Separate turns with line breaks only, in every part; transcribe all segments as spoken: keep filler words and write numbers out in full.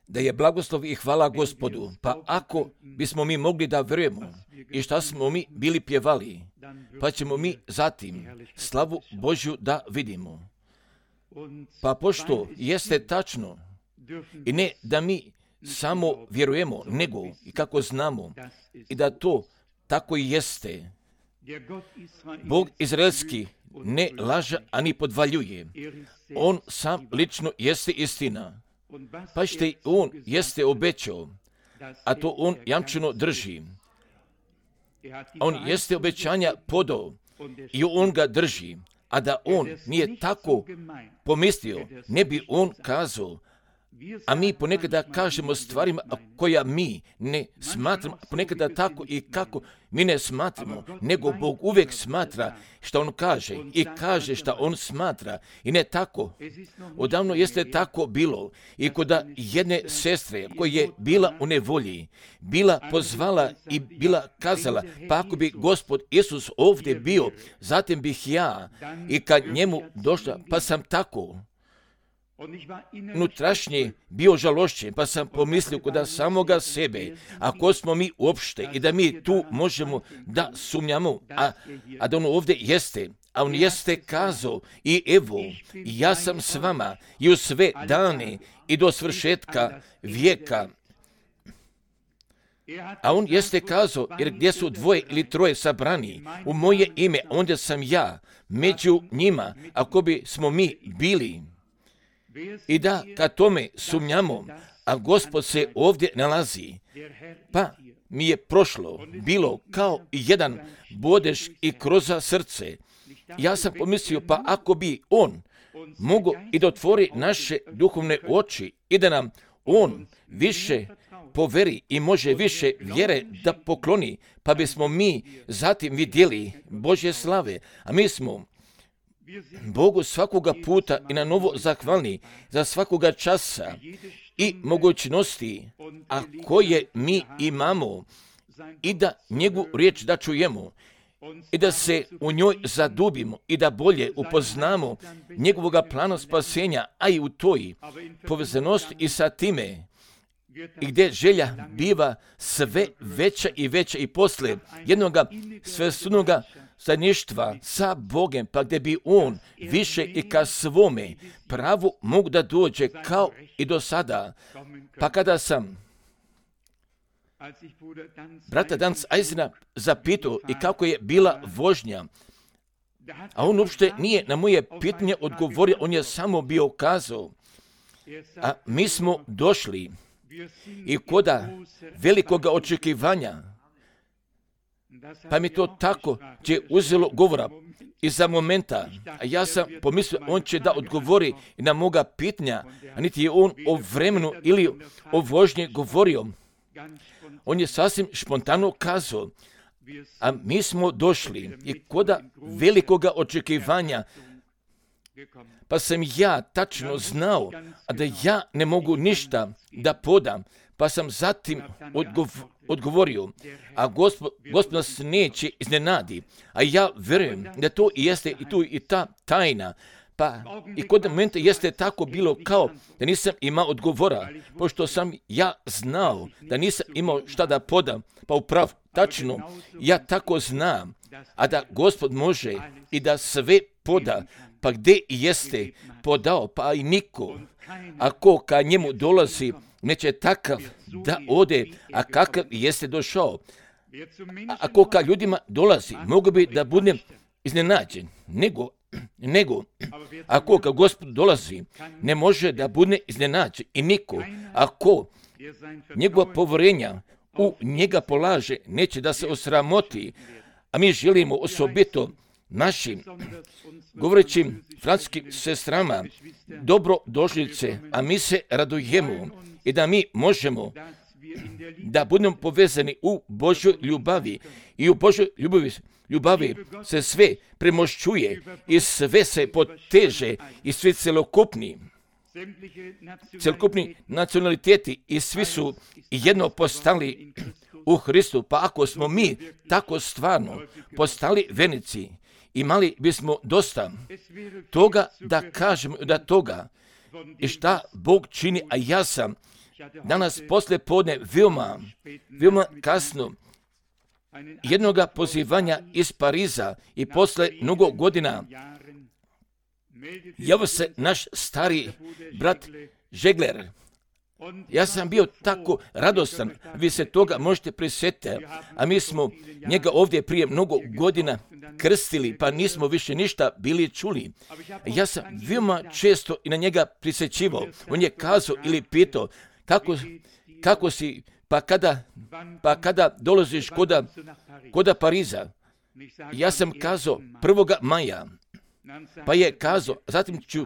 Da je blagoslov i hvala Gospodu. Pa ako bismo mi mogli da vjerujemo i šta smo mi bili pjevali, pa ćemo mi zatim slavu Božju da vidimo. Pa pošto jeste tačno i ne da mi samo vjerujemo, nego i kako znamo i da to tako i jeste. Bog izraelski ne laže ani podvaljuje. On sam lično jeste istina. Pa što on jeste obećao, a to on jamčeno drži. On jeste obećanja podao i on ga drži. A da on nije tako pomislio, ne bi on kazao. A mi ponekada kažemo stvarima koja mi ne smatramo, ponekada tako i kako mi ne smatramo, nego Bog uvijek smatra što on kaže i kaže što on smatra. I ne tako. Odavno jeste tako bilo i kod jedne sestre koja je bila u nevolji, bila pozvala i bila kazala, pa ako bi Gospod Isus ovdje bio, zatim bih ja i kad njemu došla, pa sam tako unutrašnje bio žalošćen, pa sam pomislio kod samoga sebe, ako smo mi uopšte i da mi tu možemo da sumnjamo, a, a da on ovdje jeste, a on jeste kazao i evo, ja sam s vama i u sve dane i do svršetka vijeka. A on jeste kazao, jer gdje su dvoje ili troje sabrani u moje ime, onda sam ja među njima, ako bi smo mi bili. I da kad tome sumnjamo, a Gospod se ovdje nalazi, pa mi je prošlo bilo kao jedan bodež i kroz srce. Ja sam pomislio, pa ako bi on mogao i da otvori naše duhovne oči i da nam on više poveri i može više vjere da pokloni, pa bismo mi zatim vidjeli Božje slave, a mi smo Bogu svakoga puta i na novo zahvalni za svakoga časa i mogućnosti, a koje mi imamo, i da njegovu riječ da čujemo i da se u njoj zadubimo i da bolje upoznamo njegovoga plana spasenja, a i u toj povezanosti i sa time i gdje želja biva sve veća i veća i posle jednoga svesudnoga zajedništva sa Bogem, pa gdje bi on više i ka svome pravu mogu da dođe kao i do sada. Pa kada sam brata Danz Eisena zapitao i kako je bila vožnja, a on uopšte nije na moje pitanje odgovorio, on je samo bio kazao, a mi smo došli i koda velikoga očekivanja, pa mi to tako će uzelo govora i za momenta, a ja sam pomislio, on će da odgovori na moga pitanja, a niti je on o vremenu ili o vožnji govorio. On je sasvim špontano kazao, a mi smo došli i koda velikoga očekivanja, pa sam ja tačno znao, a da ja ne mogu ništa da podam, pa sam zatim odgov- odgovorio, a Gospod, Gospod nas neće iznenadi, a ja vjerujem da to i jeste i tu i ta tajna, pa i kod momenta jeste tako bilo kao da nisam imao odgovora, pošto sam ja znao da nisam imao šta da podam, pa upravo, tačno, ja tako znam, a da Gospod može i da sve poda, pa gdje jeste podao, pa i niko, ako ka njemu dolazi, neće takav da ode, a kakav jeste došao. A ako ka ljudima dolazi, mogu bi da budem iznenađen, nego, nego ako ka Gospod dolazi, ne može da bude iznenađen i niko, ako njegova povjerenja u njega polaže, neće da se osramoti, a mi želimo osobito našim govorećim francuskim sestrama dobro došlice, a mi se radujemo i da mi možemo da budemo povezani u Božoj ljubavi i u Božoj ljubavi, ljubavi se sve premošćuje i sve se poteže i svi celokupni celokupni nacionaliteti i svi su jedno postali u Hristu. Pa ako smo mi tako stvarno postali vernici, imali bismo dosta toga da kažemo da toga, i šta Bog čini, a ja sam danas posle podne veoma, veoma kasno jednoga pozivanja iz Pariza i posle mnogo godina javio se naš stari brat Žegler. Ja sam bio tako radostan, vi se toga možete prisjetiti, a mi smo njega ovdje prije mnogo godina krstili, pa nismo više ništa bili čuli. Ja sam veoma često i na njega prisjećivao. On je kazao ili pitao, kako, kako si, pa kada, pa kada dolaziš koda, koda Pariza? Ja sam kazao prvoga maja, pa je kazao, zatim ću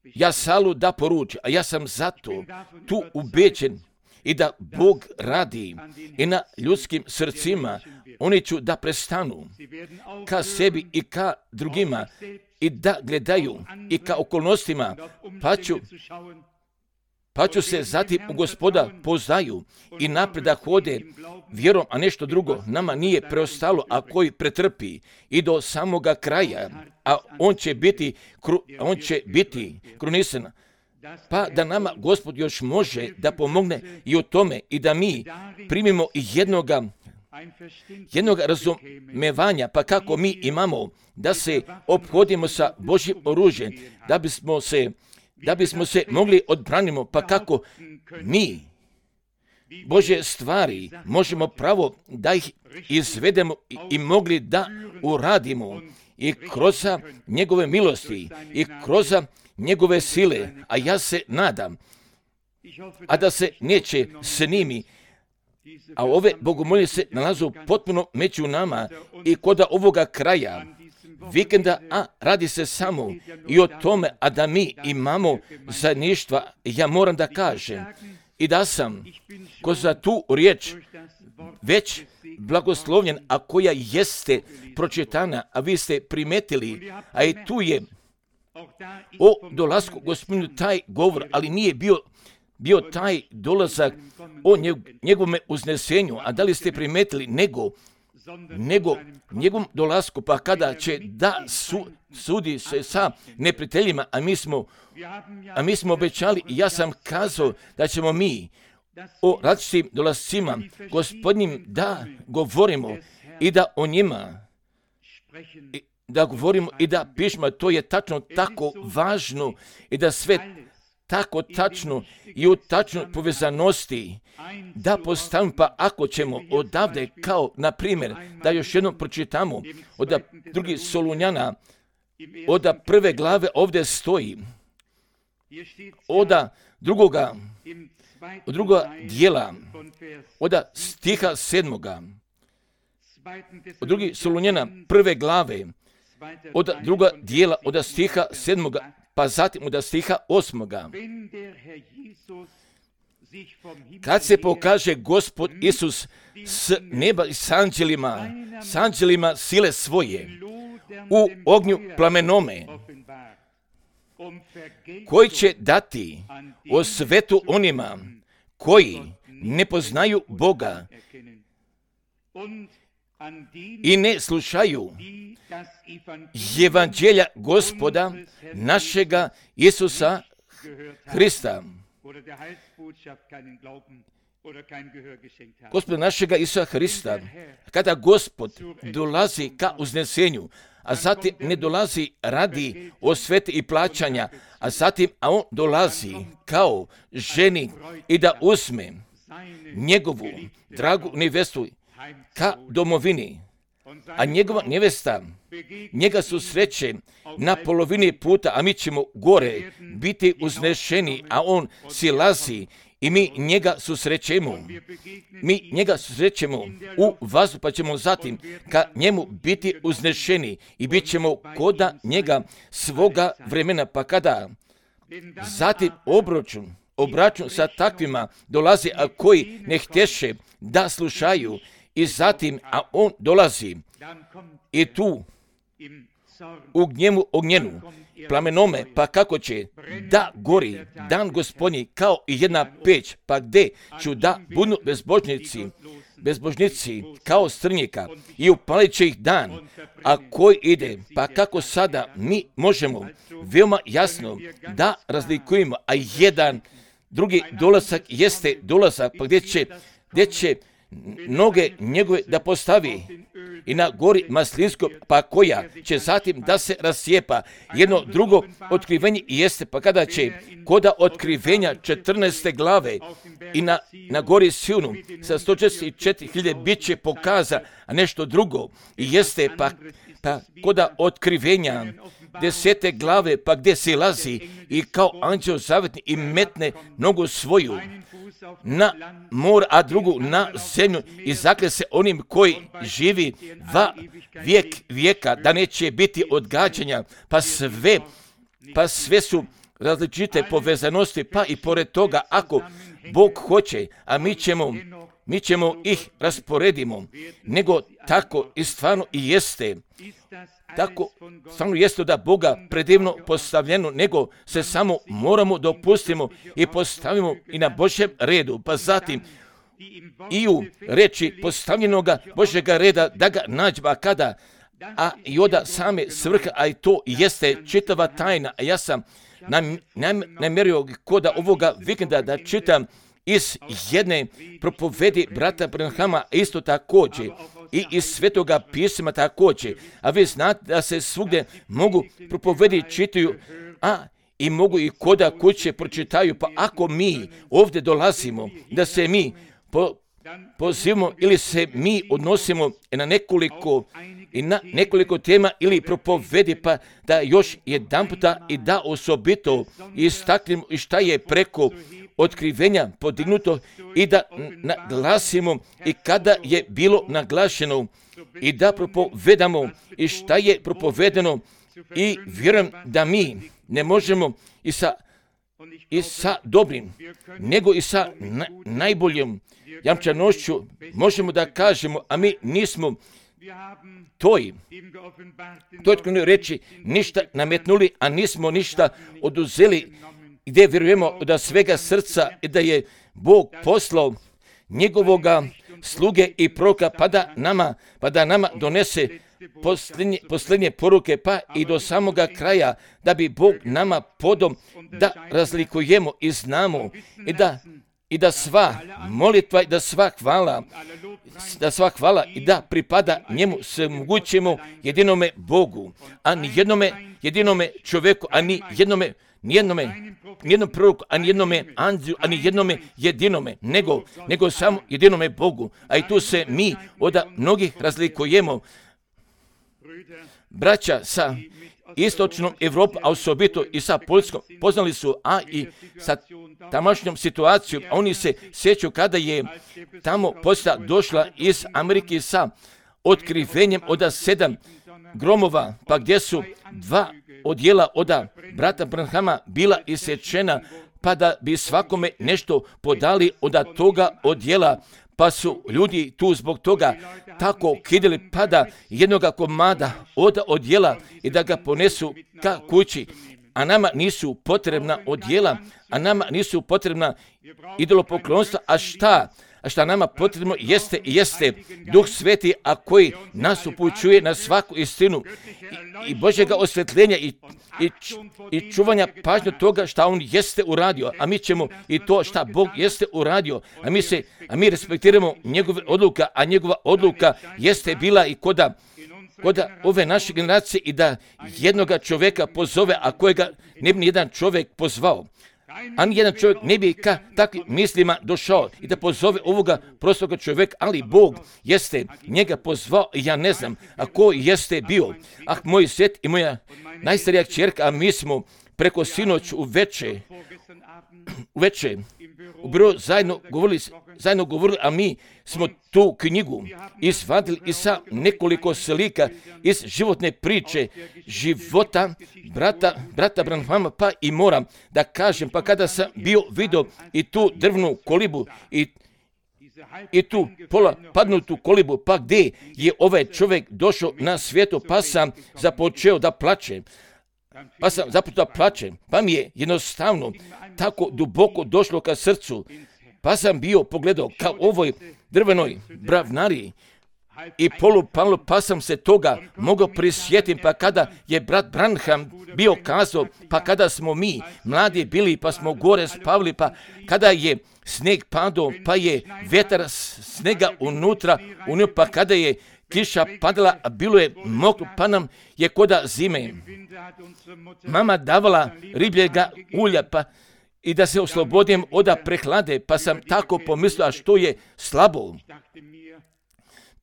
ja salu da poruči, a ja sam zato tu ubeđen i da Bog radi i na ljudskim srcima, oni ću da prestanu ka sebi i ka drugima i da gledaju i ka okolnostima, pa ću, pa ću se zatim u Gospoda poznaju i napred da hode vjerom, a nešto drugo nama nije preostalo, a koji pretrpi i do samoga kraja, a on će biti, kru, on će biti krunisan. Pa da nama Gospod još može da pomogne i u tome i da mi primimo jednoga, jednoga razumevanja, pa kako mi imamo da se ophodimo sa Božjim oružjem, da bismo se da bismo se mogli odbranimo, pa kako mi Božje stvari možemo pravo da ih izvedemo i, i mogli da uradimo i kroz njegove milosti i kroz njegove sile, a ja se nadam, a da se neće s njimi, a ove bogomolje se nalazu potpuno među nama i kod ovoga kraja vikenda, a radi se samo i o tome, a da mi imamo zajedništva, ja moram da kažem i da sam ko za tu riječ već blagoslovljen, a koja jeste pročitana, a vi ste primetili, a i tu je o dolasku Gospodinu taj govor, ali nije bio, bio taj dolazak o njegovome uznesenju, a da li ste primetili, nego nego njegovom dolasku, pa kada će da su, sudi se sa neprijateljima, a mi smo, a mi smo obećali, i ja sam kazao da ćemo mi o različitim dolascima Gospodnjim da govorimo i da o njima i da govorimo i da pišemo, to je tačno tako važno i da sve tako tačno i u tačnoj povezanosti da postavimo, pa ako ćemo odavde, kao na primjer, da još jednom pročitamo od drugi Solunjana, od prve glave ovdje stoji, od drugoga, od drugoga dijela, od stiha sedmoga, od drugi Solunjana prve glave, od druga dijela, od stiha sedmoga, pa zatim od stiha osmoga. Kad se pokaže Gospod Isus s neba i s anđelima, s anđelima sile svoje, u ognju plamenome, koji će dati o svetu onima koji ne poznaju Boga i ne slušaju evanđelja Gospoda našega Isusa Hrista. Gospoda našega Isusa Hrista, kada Gospod dolazi ka uznesenju, a zatim ne dolazi radi osvete i plaćanja, a zatim a on dolazi kao ženi i da uzme njegovu dragu nevestu ka domovini, a njegova nevesta njega susreće na polovini puta, a mi ćemo gore biti uznešeni, a on silazi i mi njega susrećemo. Mi njega susrećemo u vazduhu, pa ćemo zatim ka njemu biti uznešeni i bit ćemo koda njega svoga vremena, pa kada zatim obračun, obračun sa takvima dolazi, a koji ne htješe da slušaju, i zatim, a on dolazi i tu u gnjevu ognjenu, plamenome, pa kako će da gori dan Gospodnji kao i jedna peć, pa gde ću da budu bezbožnici, bezbožnici kao strnjika i upalit će ih dan, a koji ide, pa kako sada mi možemo veoma jasno da razlikujemo, a jedan drugi dolazak jeste dolazak, pa gdje će, gdje će noge njegove da postavi i na gori Maslinsko, pa koja će zatim da se rascijepa. Jedno drugo otkrivenje jeste, pa kada će koda otkrivenja četrnaeste glave i na, na gori Sionu sa sto četrdeset četiri hiljade bit će pokaza, a nešto drugo i jeste, pa, pa koda otkrivenja desete glave, pa gdje se lazi i kao anđeo zavetni i metne nogu svoju na mor, a drugu na zemlju i zakle se onim koji živi va vijek vijeka, da neće biti odgađanja, pa sve, pa sve su različite povezanosti, pa i pored toga, ako Bog hoće, a mi ćemo, mi ćemo ih rasporedimo, nego tako i stvarno i jeste. Tako stvarno jeste da Boga predivno postavljeno, nego se samo moramo dopustimo i postavimo i na Božjem redu, pa zatim i u reči postavljenoga Božjega reda da ga nađba kada, a i oda same svrha, a i to jeste čitava tajna. A ja sam nam, nam, namjerio koda ovoga vikenda da čitam iz jedne propovedi brata Branhama, isto također, i iz Svetoga pisma također. A vi znate da se svugdje mogu propovedi čitaju, a i mogu i koda kuće pročitaju. Pa ako mi ovdje dolazimo, da se mi po, pozivamo ili se mi odnosimo na nekoliko i na nekoliko tema ili propovedi, pa da još jedan puta i da osobito istaknemo i šta je preko otkrivenja podignuto i da naglasimo i kada je bilo naglašeno i da propovedamo i šta je propovedeno i vjerujem da mi ne možemo i sa, i sa dobrim, nego i sa na, najboljom jamčanošću možemo da kažemo, a mi nismo toj, toj reći ništa nametnuli, a nismo ništa oduzeli, gdje vjerujemo da svega srca i da je Bog poslao njegovoga sluge i proroka pa da nama, pa da nama donese posljednje, posljednje poruke pa i do samoga kraja, da bi Bog nama podom da razlikujemo i znamo i da, i da sva molitva i da sva hvala, da sva hvala i da pripada njemu se mogućemo jedinome Bogu, a ni jednome jedinome čovjeku, a ni jednome nijednome, nijednom proroku, a nijednome anđelu, a nijednome jedinome, nego, nego samo jedinome Bogu. A i tu se mi od mnogih razlikujemo. Braća sa istočnom Evropom, a osobito i sa Poljskom, poznali su, a i sa tamašnjom situacijom, a oni se sjećaju kada je tamo poslija došla iz Amerike sa otkrivenjem od sedam gromova, pa gdje su dva odjela od brata Branhama bila isječena, pa da bi svakome nešto podali od toga odjela, pa su ljudi tu zbog toga tako kidili, pa da jednoga komada od odjela i da ga ponesu ka kući, a nama nisu potrebna odjela, a nama nisu potrebna idolopoklonstva, a šta? A šta nama potrebno jeste, jeste Duh Sveti, a koji nas upućuje na svaku istinu i, i Božjega osvjetljenja i, i, i čuvanja pažnje toga šta On jeste uradio, a mi ćemo i to šta Bog jeste uradio, a mi, se, a mi respektiramo njegove odluka, a njegova odluka jeste bila i koda, koda ove naše generacije i da jednoga čovjeka pozove, a kojega ne bi nijedan čovjek pozvao. A nijedan čovjek ne bi ka takvim mislima došao i da pozove ovoga prostoga čovjeka, ali Bog jeste njega pozvao i ja ne znam, a ko jeste bio. Ah, moj svet i moja najstarija kćerka, a mi smo preko sinoć u veče, u veče, u biro zajedno govorili, zajedno govorili, a mi smo tu knjigu izvadili i sa nekoliko slika iz životne priče života brata, brata Branhama, pa i moram da kažem, pa kada sam bio vidio i tu drvnu kolibu i i tu pola padnutu kolibu, pa gdje je ovaj čovjek došao na svijetu, pa sam započeo da plače. pa sam zapušta plačem, pa mi je jednostavno tako duboko došlo ka srcu, pa sam bio pogledao ka ovoj drvenoj bravnari i polupalo, pa sam se toga mogao prisjetiti, pa kada je brat Branham bio kazao, pa kada smo mi mladi bili, pa smo gore spavili, pa kada je sneg padao, pa je vetar snega unutra, unutra, pa kada je kiša padala, a bilo je mokro, pa nam je koda zime mama davala ribljega ulja, pa i da se oslobodim od prehlade, pa sam tako pomislio, a što je slabo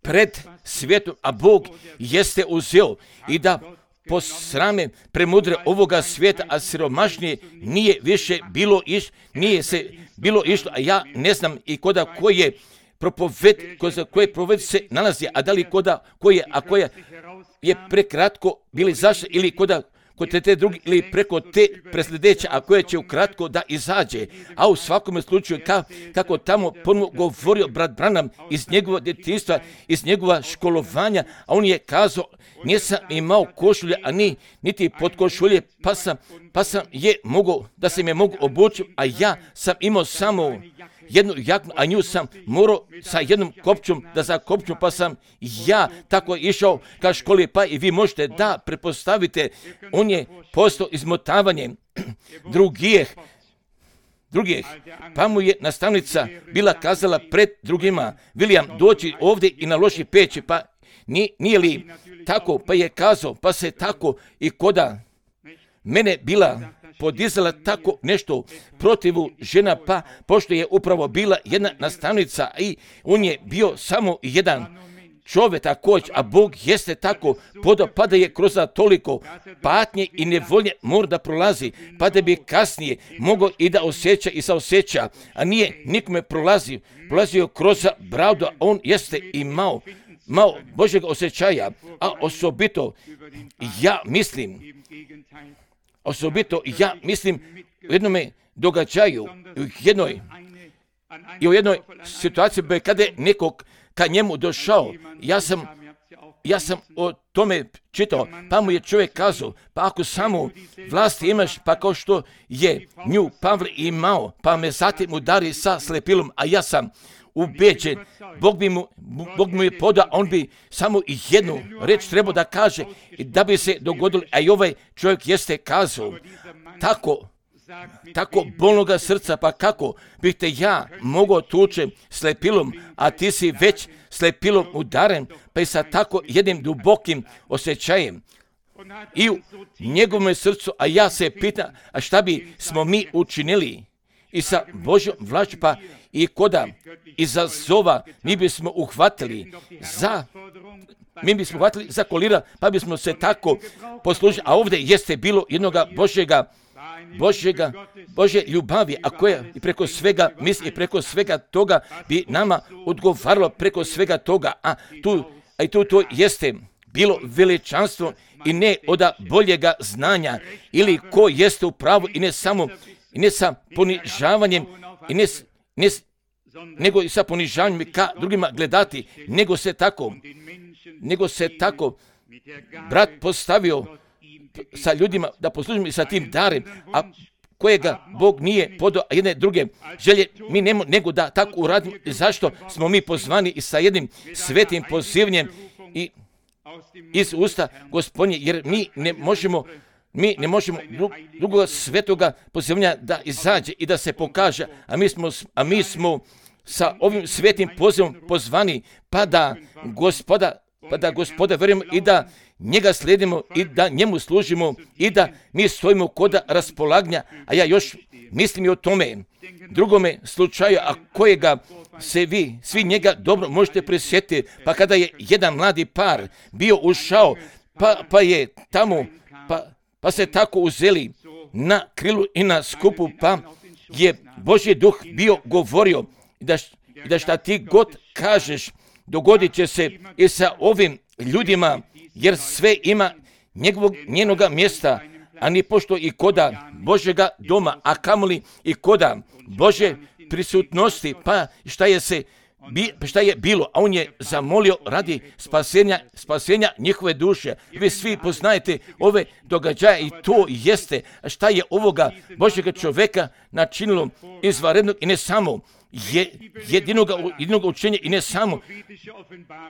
pred svijetom, a Bog jeste uzeo i da posrame premudre ovoga svijeta, a siromašnije nije više bilo iš, nije se bilo išlo, a ja ne znam i koda koje propoved, koje proved se nalazi, a da li koda koje, a koja je prekratko bili zašto ili koda kod te, te drugi ili preko te presljedeće, a koje će ukratko da izađe. A u svakom slučaju ka, kako tamo ponovno govorio brat Branham iz njegova djetinjstva, iz njegova školovanja, a on je kazao, nisam imao košulje, a ni, niti pod košulje, pa sam, pa sam je mogao, da se me mogu obući, a ja sam imao samo jednu jaknu, a nju sam morao sa jednom kopčom da zakopču, pa sam ja tako išao ka školi, pa i vi možete da prepostavite, on je postao izmotavanje drugih, drugih, pa mu je nastavnica bila kazala pred drugima, William, doći ovdje i naloži peći, pa nije, nije li tako, pa je kazao, pa se tako i koda mene bila podizala tako nešto protivu žena, pa pošto je upravo bila jedna nastavnica i on je bio samo jedan čovjek također, a Bog jeste tako podao, pa da je kroz toliko patnje i nevolje mora da prolazi, pa da bi kasnije mogao i da osjeća i saosjeća, a nije nikome prolazio, prolazio kroz pravdu, a on jeste imao malo Božjeg osjećaja, a osobito ja mislim, osobito ja mislim u jednome događaju, u jednoj, i u jednoj situaciji kada je nekog ka njemu došao, ja sam, ja sam o tome čitao, pa mu je čovjek kazao, pa ako samo vlasti imaš, pa kao što je nju Pavle imao, pa me zatim udari sa slepilom, a ja sam ubeđen, Bog bi mu, Bog mu je podao, on bi samo jednu reč trebao da kaže i da bi se dogodilo, a i ovaj čovjek jeste kazao, tako, tako bolnoga srca, pa kako bih te ja mogao tuče slepilom, a ti si već slepilom udaren, pa i sa tako jednim dubokim osjećajem i u njegovom srcu, a ja se pitam, a šta bi smo mi učinili i sa Božjom vlašću, pa i koda izazova mi bismo uhvatili za, mi bismo uhvatili za kolira, pa bismo se tako poslužili, a ovdje jeste bilo jednoga Božjega, Božjega, Božje ljubavi, a koja i preko svega misli i preko svega toga bi nama odgovaralo preko svega toga, a tu, a i tu to jeste bilo veličanstvo i ne od boljega znanja ili ko jeste u pravu i ne samo, i ne sa ponižavanjem i ne, ne nego i sa ponižavanjem ka drugima gledati, nego se tako, nego se tako brat postavio sa ljudima da poslužimo i sa tim darem, a kojega Bog nije podao, a jedne druge želje mi nemo, nego da tako uradimo. Zašto smo mi pozvani i sa jednim svetim pozivnjem i iz usta Gospodnje, jer mi ne možemo Mi ne možemo drugog svetoga pozivanja da izađe i da se pokaže, a mi smo, a mi smo sa ovim svetim pozivom pozvani, pa da gospoda, pa da gospoda verujemo i da njega slijedimo i da njemu služimo i da mi stojimo koda raspolaganja, a ja još mislim i o tome drugome slučaju, a kojega se vi, svi njega dobro možete prisjetiti, pa kada je jedan mladi par bio ušao, pa, pa je tamo, pa Pa se tako uzeli na krilu i na skupu, pa je Božji duh bio govorio da, da šta ti god kažeš dogodit će se i sa ovim ljudima, jer sve ima njegovog, njenoga mjesta, a ni pošto i koda Božjega doma, a kamoli i koda Božje prisutnosti, pa šta je se bi, šta je bilo, a on je zamolio radi spasenja, spasenja njihove duše. Vi svi poznajete ove događaje i to jeste šta je ovoga Božjega čovjeka načinilo izvanrednog i ne samo je jedinoga, jedinoga učenja i ne samo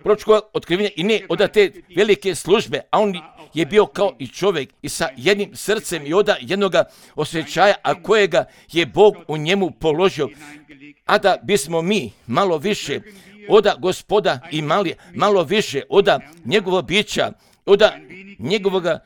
proročkog otkrivenja i ne od te velike službe, a on je bio kao i čovjek i sa jednim srcem i od jednoga osjećaja, a kojega je Bog u njemu položio. A da bismo mi malo više oda Gospoda imali, malo više oda njegovog bića, oda njegovoga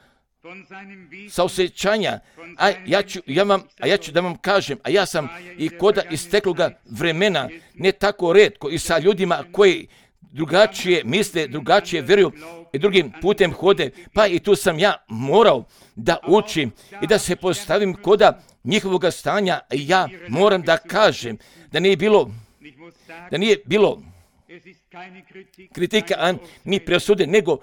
saosjećanja, a ja ću, ja vam, a ja ću da vam kažem, a ja sam i koda istekloga vremena, ne tako retko i sa ljudima koji drugačije misle, drugačije vjeruju i drugim putem hode, pa i tu sam ja morao da učim i da se postavim koda njihovoga stanja. Ja moram da kažem da nije bilo, da nije bilo kritika, a ni presude, nego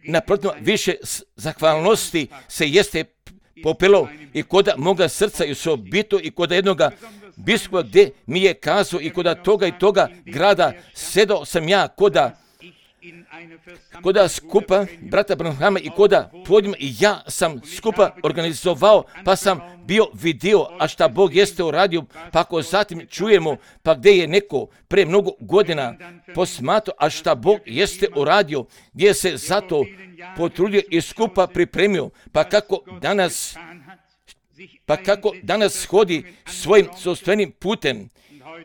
naprotiv više zahvalnosti se jeste popelo i koda moga srca i osobito i koda jednoga biskupa gdje mi je kazao i koda toga i toga grada sedao sam ja koda koda skupa brata Branhama i koda podima i ja sam skupa organizovao, pa sam bio vidio, a šta Bog jeste uradio, pa ako zatim čujemo, pa gdje je neko pre mnogo godina posmatrao, a šta Bog jeste uradio, gdje se zato potrudio i skupa pripremio, pa kako danas pa kako danas hodi svojim sopstvenim putem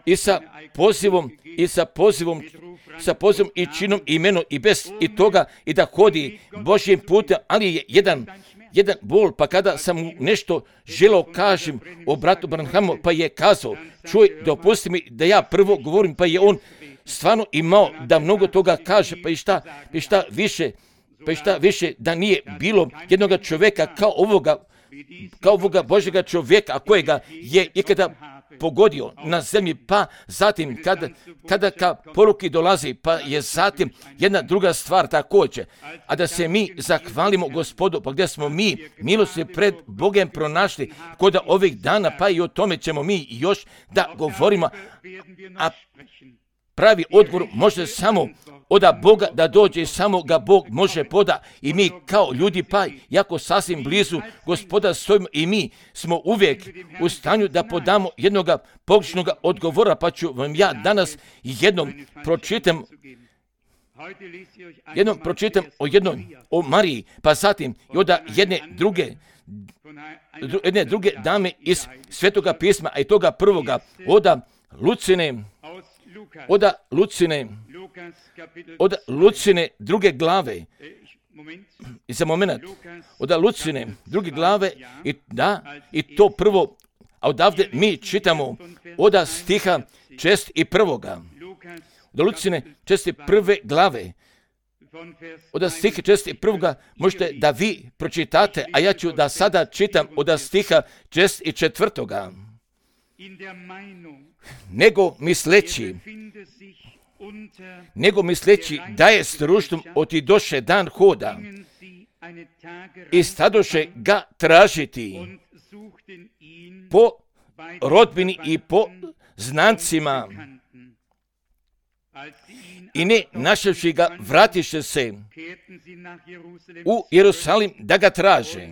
i sa pozivom i sa pozivom sa pozivom i činom i imenom i bez i toga i da hodi Božjim putem, ali je jedan jedan bol, pa kada sam mu nešto želeo kažem o bratu Branhamu, pa je kazao, čuj, dopusti mi da ja prvo govorim, pa je on stvarno imao da mnogo toga kaže, pa i šta, pa i šta više, pa i šta više da nije bilo jednoga čovjeka kao ovoga, kao ovoga Božjega čovjeka, a kojega je ikada pogodio na zemlji, pa zatim kada, kada ka poruki dolazi, pa je zatim jedna druga stvar također, a da se mi zahvalimo Gospodu, pa gdje smo mi milosti pred Bogem pronašli kod ovih dana, pa i o tome ćemo mi još da govorimo, a pravi odgovor može samo od Boga da dođe i samo ga Bog može poda i mi kao ljudi pa jako sasvim blizu Gospoda stojimo i mi smo uvijek u stanju da podamo jednoga pogrešnog odgovora, pa ću vam ja danas jednom pročitam jednom pročitam o jednom o Mariji, pa zatim i od jedne druge jedne druge dame iz Svetoga pisma, a i toga prvoga oda Lucine Oda Lucine, oda Lucine druge glave, i za moment, oda Lucine druge glave, i da, i to prvo, a odavde mi čitamo oda stiha čest i prvoga, oda Lucine čest i prve glave, oda stiha čest i prvoga, možete da vi pročitate, a ja ću da sada čitam oda stiha čest i četvrtoga. Nego misleći, nego misleći da je s ruštom otidoše dan hoda i stadoše ga tražiti po rodbini i po znancima i ne našavši ga vratiše se u Jerusalim da ga traže.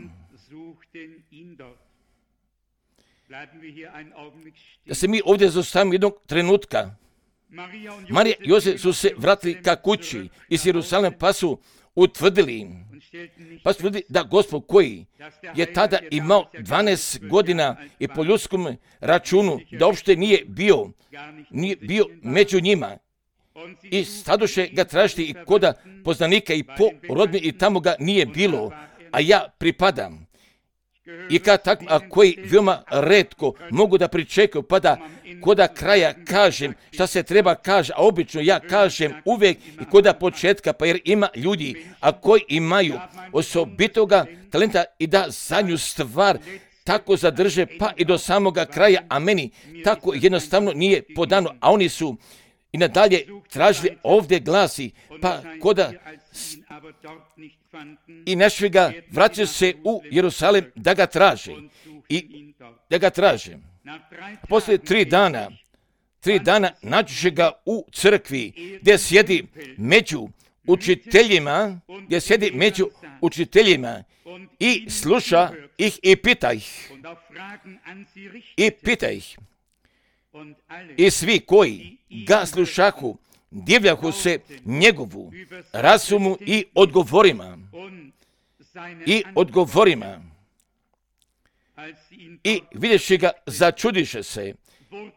Da se mi ovdje zaustavimo jednog trenutka. Marija i Jozef su se vratili ka kući iz Jerusalima, pa su utvrdili, pa su utvrdili da Gospod koji je tada imao dvanaest godina i po ljudskom računu, da uopšte nije bio, nije bio među njima. I stadoše ga tražiti i koda poznanika i po rodbini i tamo ga nije bilo, a ja pripadam. I kad tako, a koji veoma retko mogu da pričekaju, pa da koda kraja kažem šta se treba kaže, a obično ja kažem uvijek i koda početka, pa jer ima ljudi, a koji imaju osobitoga talenta i da zadnju stvar tako zadrže, pa i do samoga kraja, a meni tako jednostavno nije podano, a oni su i nadalje tražili, ovdje glasi, pa koda i našli ga, vraćaju se u Jerusalim da ga traže. I da ga traže. Poslije tri dana, tri dana nađuše ga u crkvi, gdje sjedi među učiteljima, gdje sjedi među učiteljima i sluša ih i pita ih. I pita ih. I svi koji ga slušahu, divljahu se njegovu razumu i odgovorima. I odgovorima. I vidješi ga, začudiše se.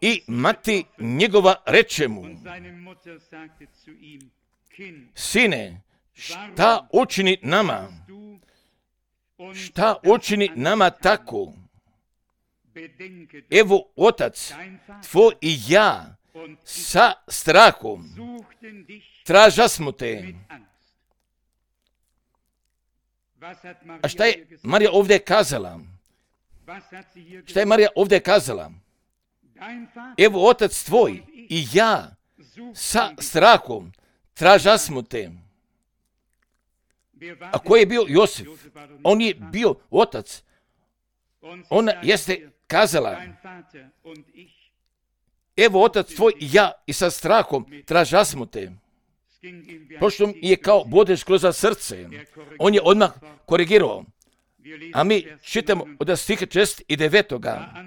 I mati njegova reče mu: Sine, šta učini nama? Šta učini nama tako? Evo, otac tvoj i ja sa strahom tražasmo te. A šta je Marija ovdje kazala? Šta je Marija ovdje kazala? Evo, otac tvoj i ja sa strahom tražasmo te. A ko je bio Josif? On je bio otac. Ona jeste kazala: Evo, otac tvoj i ja i sa strahom tražasmo te. Pošto je kao bodeš kroz srce. On je odmah korigirao. A mi čitamo od stiha šest i devetoga.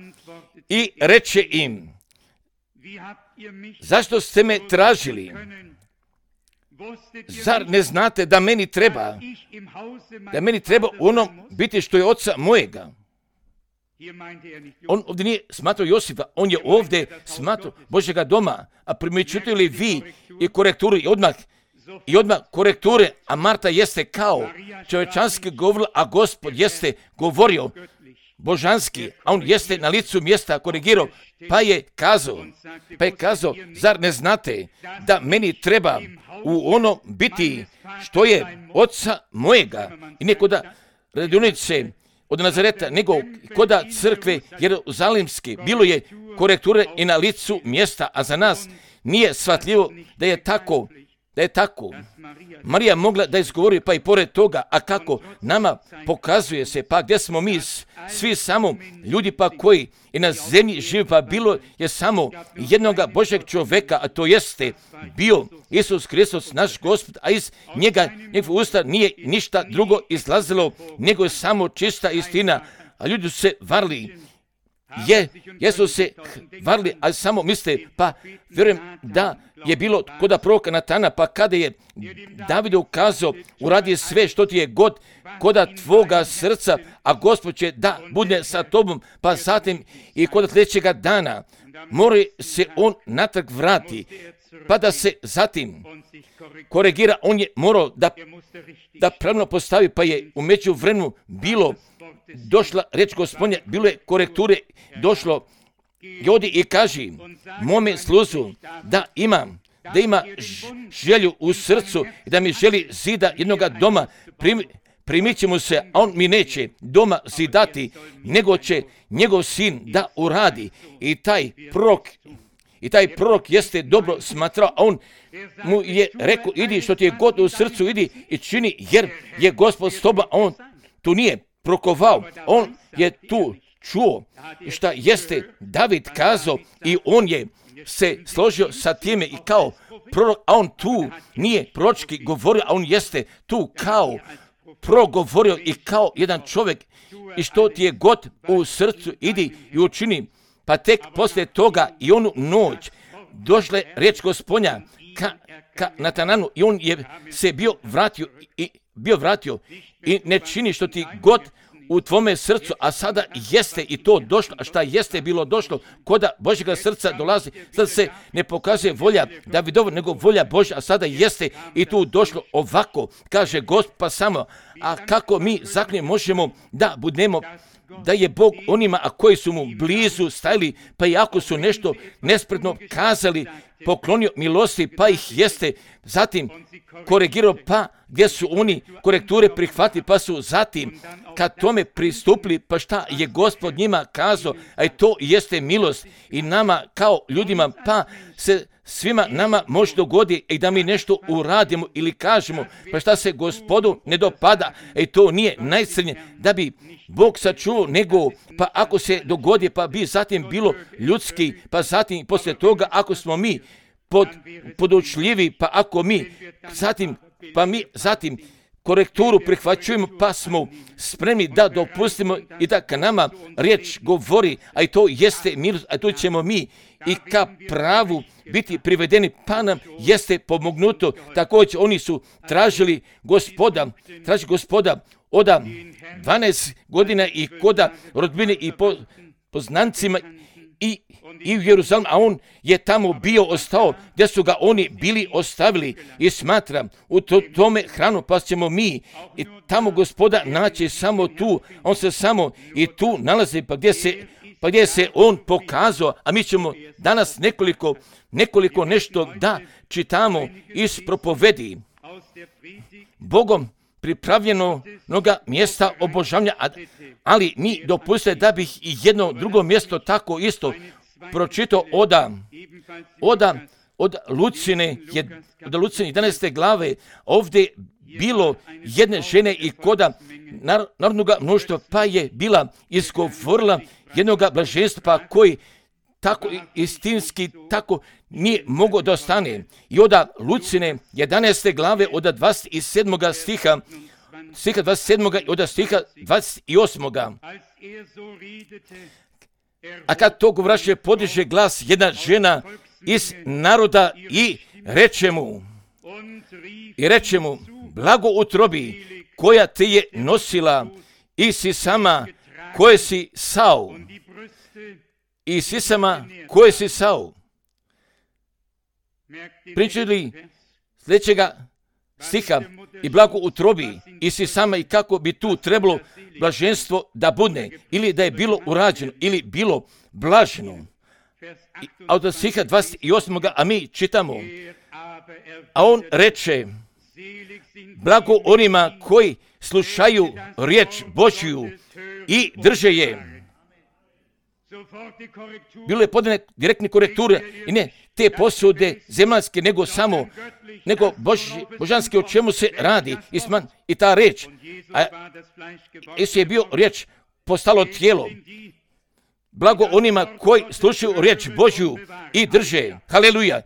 I reče im: Zašto ste me tražili? Zar ne znate da meni treba, da meni treba ono biti što je oca mojega? On ovdje nije smatrao Josifa, on je ovdje smatrao Božjega doma. A primjećujete li vi i korekturu i odmah, i odmah korekture, a Marta jeste kao čovječanski govorila, a Gospod jeste govorio božanski, a on jeste na licu mjesta korigirao, pa je kazao, pa je kazao, zar ne znate da meni treba u ono biti što je oca mojega? I ne koda radionice od Nazareta, nego koda crkve jeruzalimske, bilo je korekture i na licu mjesta, a za nas nije shvatljivo da je tako, da je tako. Marija mogla da izgovori, pa i pored toga, a kako nama pokazuje se, pa gdje smo mi svi samo ljudi pa koji i na zemlji živi, pa bilo je samo jednoga Božeg čovjeka, a to jeste bio Isus Hristos, naš Gospod, a iz njega, njegov usta nije ništa drugo izlazilo, nego je samo čista istina, a ljudi su se varili. Je, jesu se varili, ali samo misle, pa vjerujem da je bilo koda proroka Natana, pa kada je David ukazao, uradi sve što ti je god koda tvoga srca, a Gospod će da bude sa tobom, pa zatim i koda sljedećega dana mora se on natrag vrati, pa da se zatim korigira, on je morao da, da pravilno postavi, pa je u međuvremenu bilo došla reč Gospodnja, bilo je korekture, došlo i odi i kaži mome sluzu da imam, da ima želju u srcu i da mi želi zida jednoga doma, prim, primit će mu se, a on mi neće doma zidati, nego će njegov sin da uradi. I taj prorok, i taj prorok jeste dobro smatrao, a on mu je rekao, idi što ti je god u srcu, idi i čini, jer je Gospod s tobom, a on tu nije prokovao, on je tu čuo šta jeste David kazao i on je se složio sa time i kao prorok, a on tu nije proročki govorio, a on jeste tu kao progovorio i kao jedan čovjek i što ti je god u srcu, idi i učini. Pa tek poslije toga i onu noć došla je riječ Gospodnja ka, ka Natananu i on je se bio vratio i bio vratio i ne čini što ti god u tvome srcu, a sada jeste i to došlo, a šta jeste bilo došlo, koda Božjega srca dolazi, sada se ne pokazuje volja Davidova, nego volja Božja, a sada jeste i tu došlo ovako, kaže Gospod, pa samo, a kako mi zaknje možemo da budemo, da je Bog onima, a koji su mu blizu stajali, pa i ako su nešto nespretno kazali, poklonio milosti, pa ih jeste zatim korigirao, pa gdje su oni korekture prihvatili, pa su zatim kad tome pristupili, pa šta je Gospod njima kazao, a i to jeste milost i nama kao ljudima, pa se svima nama može dogodi i da mi nešto uradimo ili kažemo, pa šta se Gospodu ne dopada, i to nije najcrnje da bi Bog sačuvao, nego pa ako se dogodi, pa bi zatim bilo ljudski, pa zatim poslije toga ako smo mi pod, podučljivi, pa ako mi zatim, pa mi zatim korekturu prihvaćujemo, pa smo spremni da dopustimo i da ka nama riječ govori, a i to jeste milost, a to ćemo mi i ka pravu biti privedeni, pa nam jeste pomognuto. Također oni su tražili Gospoda, tražili Gospoda od dvanaest godina i koda rodbine i po, poznancima i, i u Jeruzalemu, a on je tamo bio ostao gdje su ga oni bili ostavili i smatram u to, tome hranu, pa ćemo mi i tamo Gospoda naći samo tu, on se samo i tu nalazi, pa gdje se, pa gdje se on pokazao, a mi ćemo danas nekoliko, nekoliko nešto da čitamo iz propovedi. Bogom pripravljeno mnoga mjesta obožavanja, ali mi dopustite da bih i jedno drugo mjesto tako isto pročitao oda, oda od Lucine, od Lucine jedanaeste glave, ovdje bilo jedne žene i koda narodnog mnoštva, pa je bila izgovorila jednog blaženstva, pa koji tako istinski, tako nije mogao da ostane. I od Lucine jedanaeste glave, od dvadeset sedmog stiha, stiha dvadeset sedmog i od stiha dvadeset osmog A kad to govraše, podiže glas jedna žena iz naroda i reče mu, i reče mu, blago utrobi koja te je nosila i si sama koje si sao. I sisama koje si sao. Pričali sljedećega stiha i blago utrobi i si sama i kako bi tu trebalo blaženstvo da bude ili da je bilo urađeno ili bilo blaženo. A od stiha dvadeset osmog a mi čitamo, a on reče, blago onima koji slušaju riječ Božju i drže je. Bilo je podane direktne korekture i ne te posude zemaljske, nego samo, nego bož, božanske o čemu se radi. I, sman, i ta reč, a Isus je bio riječ postalo tijelo. Blago onima koji slušaju riječ Božju i drže. Haleluja.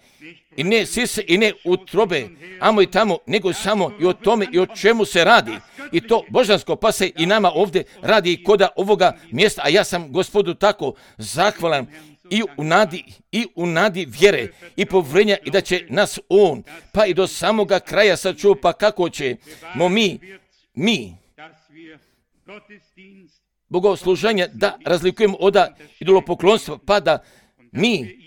I ne sise i ne utrobe, amo i tamo, nego samo i o tome i o čemu se radi. I to božansko, pa se i nama ovdje radi koda ovoga mjesta, a ja sam Gospodu tako zahvalan i u nadi, i u nadi vjere i povrenja i da će nas on, pa i do samoga kraja sačuva, pa kako ćemo mi, mi, bogosluženja da razlikujemo od idolopoklonstva, pa da mi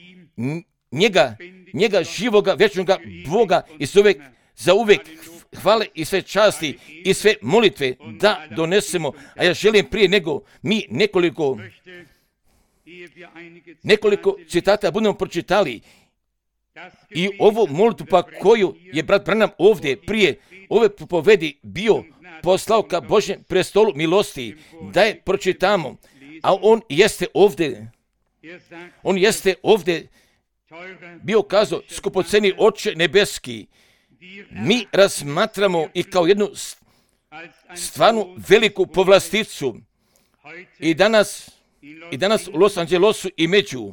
njega, njega živoga, vječnoga Boga i za uvijek, za uvijek hvale i sve časti i sve molitve da donesemo. A ja želim prije nego mi nekoliko, nekoliko citata budemo pročitali i ovu molitvu pa koju je brat Branham ovdje prije ove propovedi bio poslao ka Božjem prestolu milosti da je pročitamo. A on jeste ovdje, on jeste ovdje bio kazao, skupoceni Oče nebeski, mi razmatramo i kao jednu stvarnu veliku povlasticu i danas, i danas u Los Angelesu i među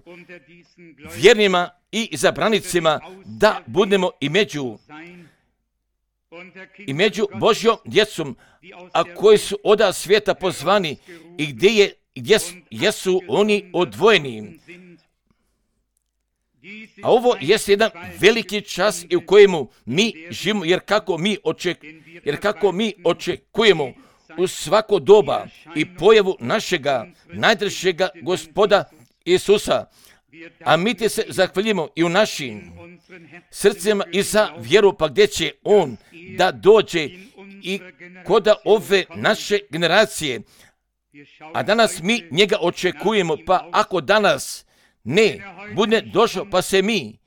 vjernima i izabranicima da budemo i među i među Božjom djecom, a koji su oda svijeta pozvani i gdje, je, gdje jesu oni odvojeni. A ovo jest jedan veliki čas u kojemu mi živimo, jer kako mi, oček, jer kako mi očekujemo u svako doba i pojavu našega najdražega Gospoda Isusa, a mi te se zahvaljujemo i u našim srcima i za vjeru, pa gdje će on da dođe i koda ove naše generacije, a danas mi njega očekujemo, pa ako danas ne bude došao, pa se mi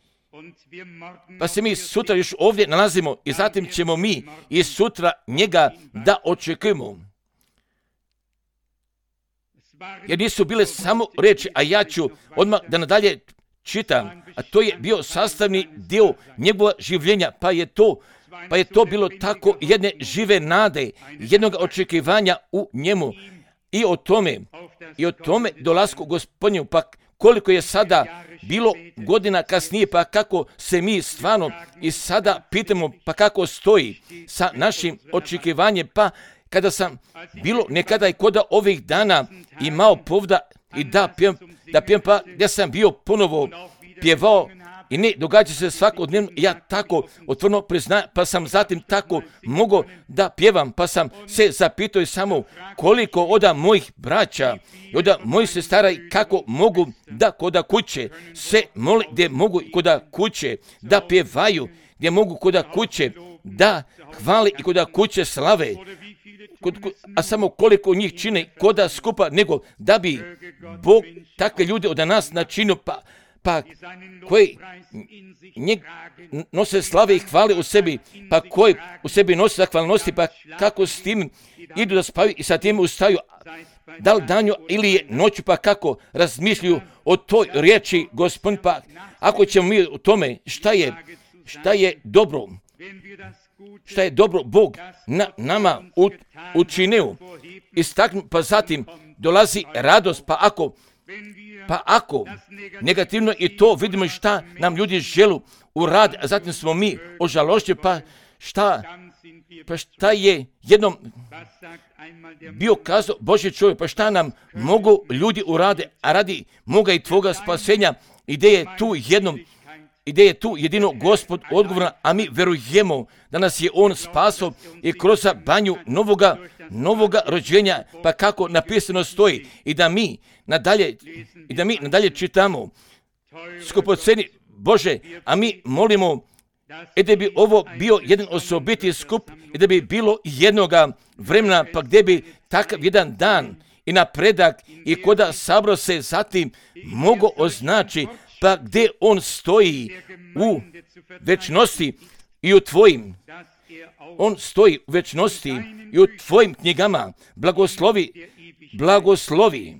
Pa se mi sutra još ovdje nalazimo i zatim ćemo mi i sutra njega da očekujemo. Jer nisu bile samo reči, a ja ću odmah da nadalje čitam, a to je bio sastavni dio njegova življenja, pa je to, pa je to bilo tako jedne žive nade, jednog očekivanja u njemu i o tome, i o tome dolasku Gospodnju, pa koliko je sada bilo godina kasnije, pa kako se mi stvarno i sada pitamo, pa kako stoji sa našim očekivanjem, pa kada sam bilo nekada i kod ovih dana imao povda i da pjevam, da pjevam, pa ja sam bio ponovo pjevao i ne događa se svakodnevno, ja tako otvoreno priznajem, pa sam zatim tako mogao da pjevam, pa sam se zapitao i samo koliko oda mojih braća i oda mojih sestara i kako mogu da koda kuće se moli, gdje mogu koda kuće da pjevaju, gdje mogu koda kuće da hvali i koda kuće slave. Kod, kod, a samo koliko njih čine koda skupa, nego da bi Bog takve ljude od nas načinio, pa, pa koji njeg nose slave i hvale u sebi, pa koji u sebi nose zahvalnosti, pa kako s tim idu da spavaju i sa tim ustaju, da li danju ili je noću, pa kako razmišljaju o toj riječi Gospod, pa ako ćemo mi u tome šta je, šta je dobro, šta je dobro Bog na, nama u, učinio, istaknu, pa zatim dolazi radost, pa ako, pa ako negativno i to vidimo šta nam ljudi želu u rad, a zatim smo mi ožalošćeni, pa šta, pa šta je jednom bio kazao Božji čovjek, pa šta nam mogu ljudi urade, a radi moga i tvoga spasenja, gdje je tu jednom, gdje je tu jedino Gospod odgovorna, a mi verujemo da nas je On spasao i kroz banju novoga, novoga rođenja, pa kako napisano stoji, i da mi nadalje, i da mi nadalje čitamo, skupoceni Bože, a mi molimo i da bi ovo bio jedan osobiti skup i da bi bilo jednoga vremena, pa gdje bi takav jedan dan i napredak i koda sabro se zatim mogo označi, pa gdje on stoji u večnosti i u tvojim, on stoji u večnosti i u tvojim knjigama, blagoslovi, blagoslovi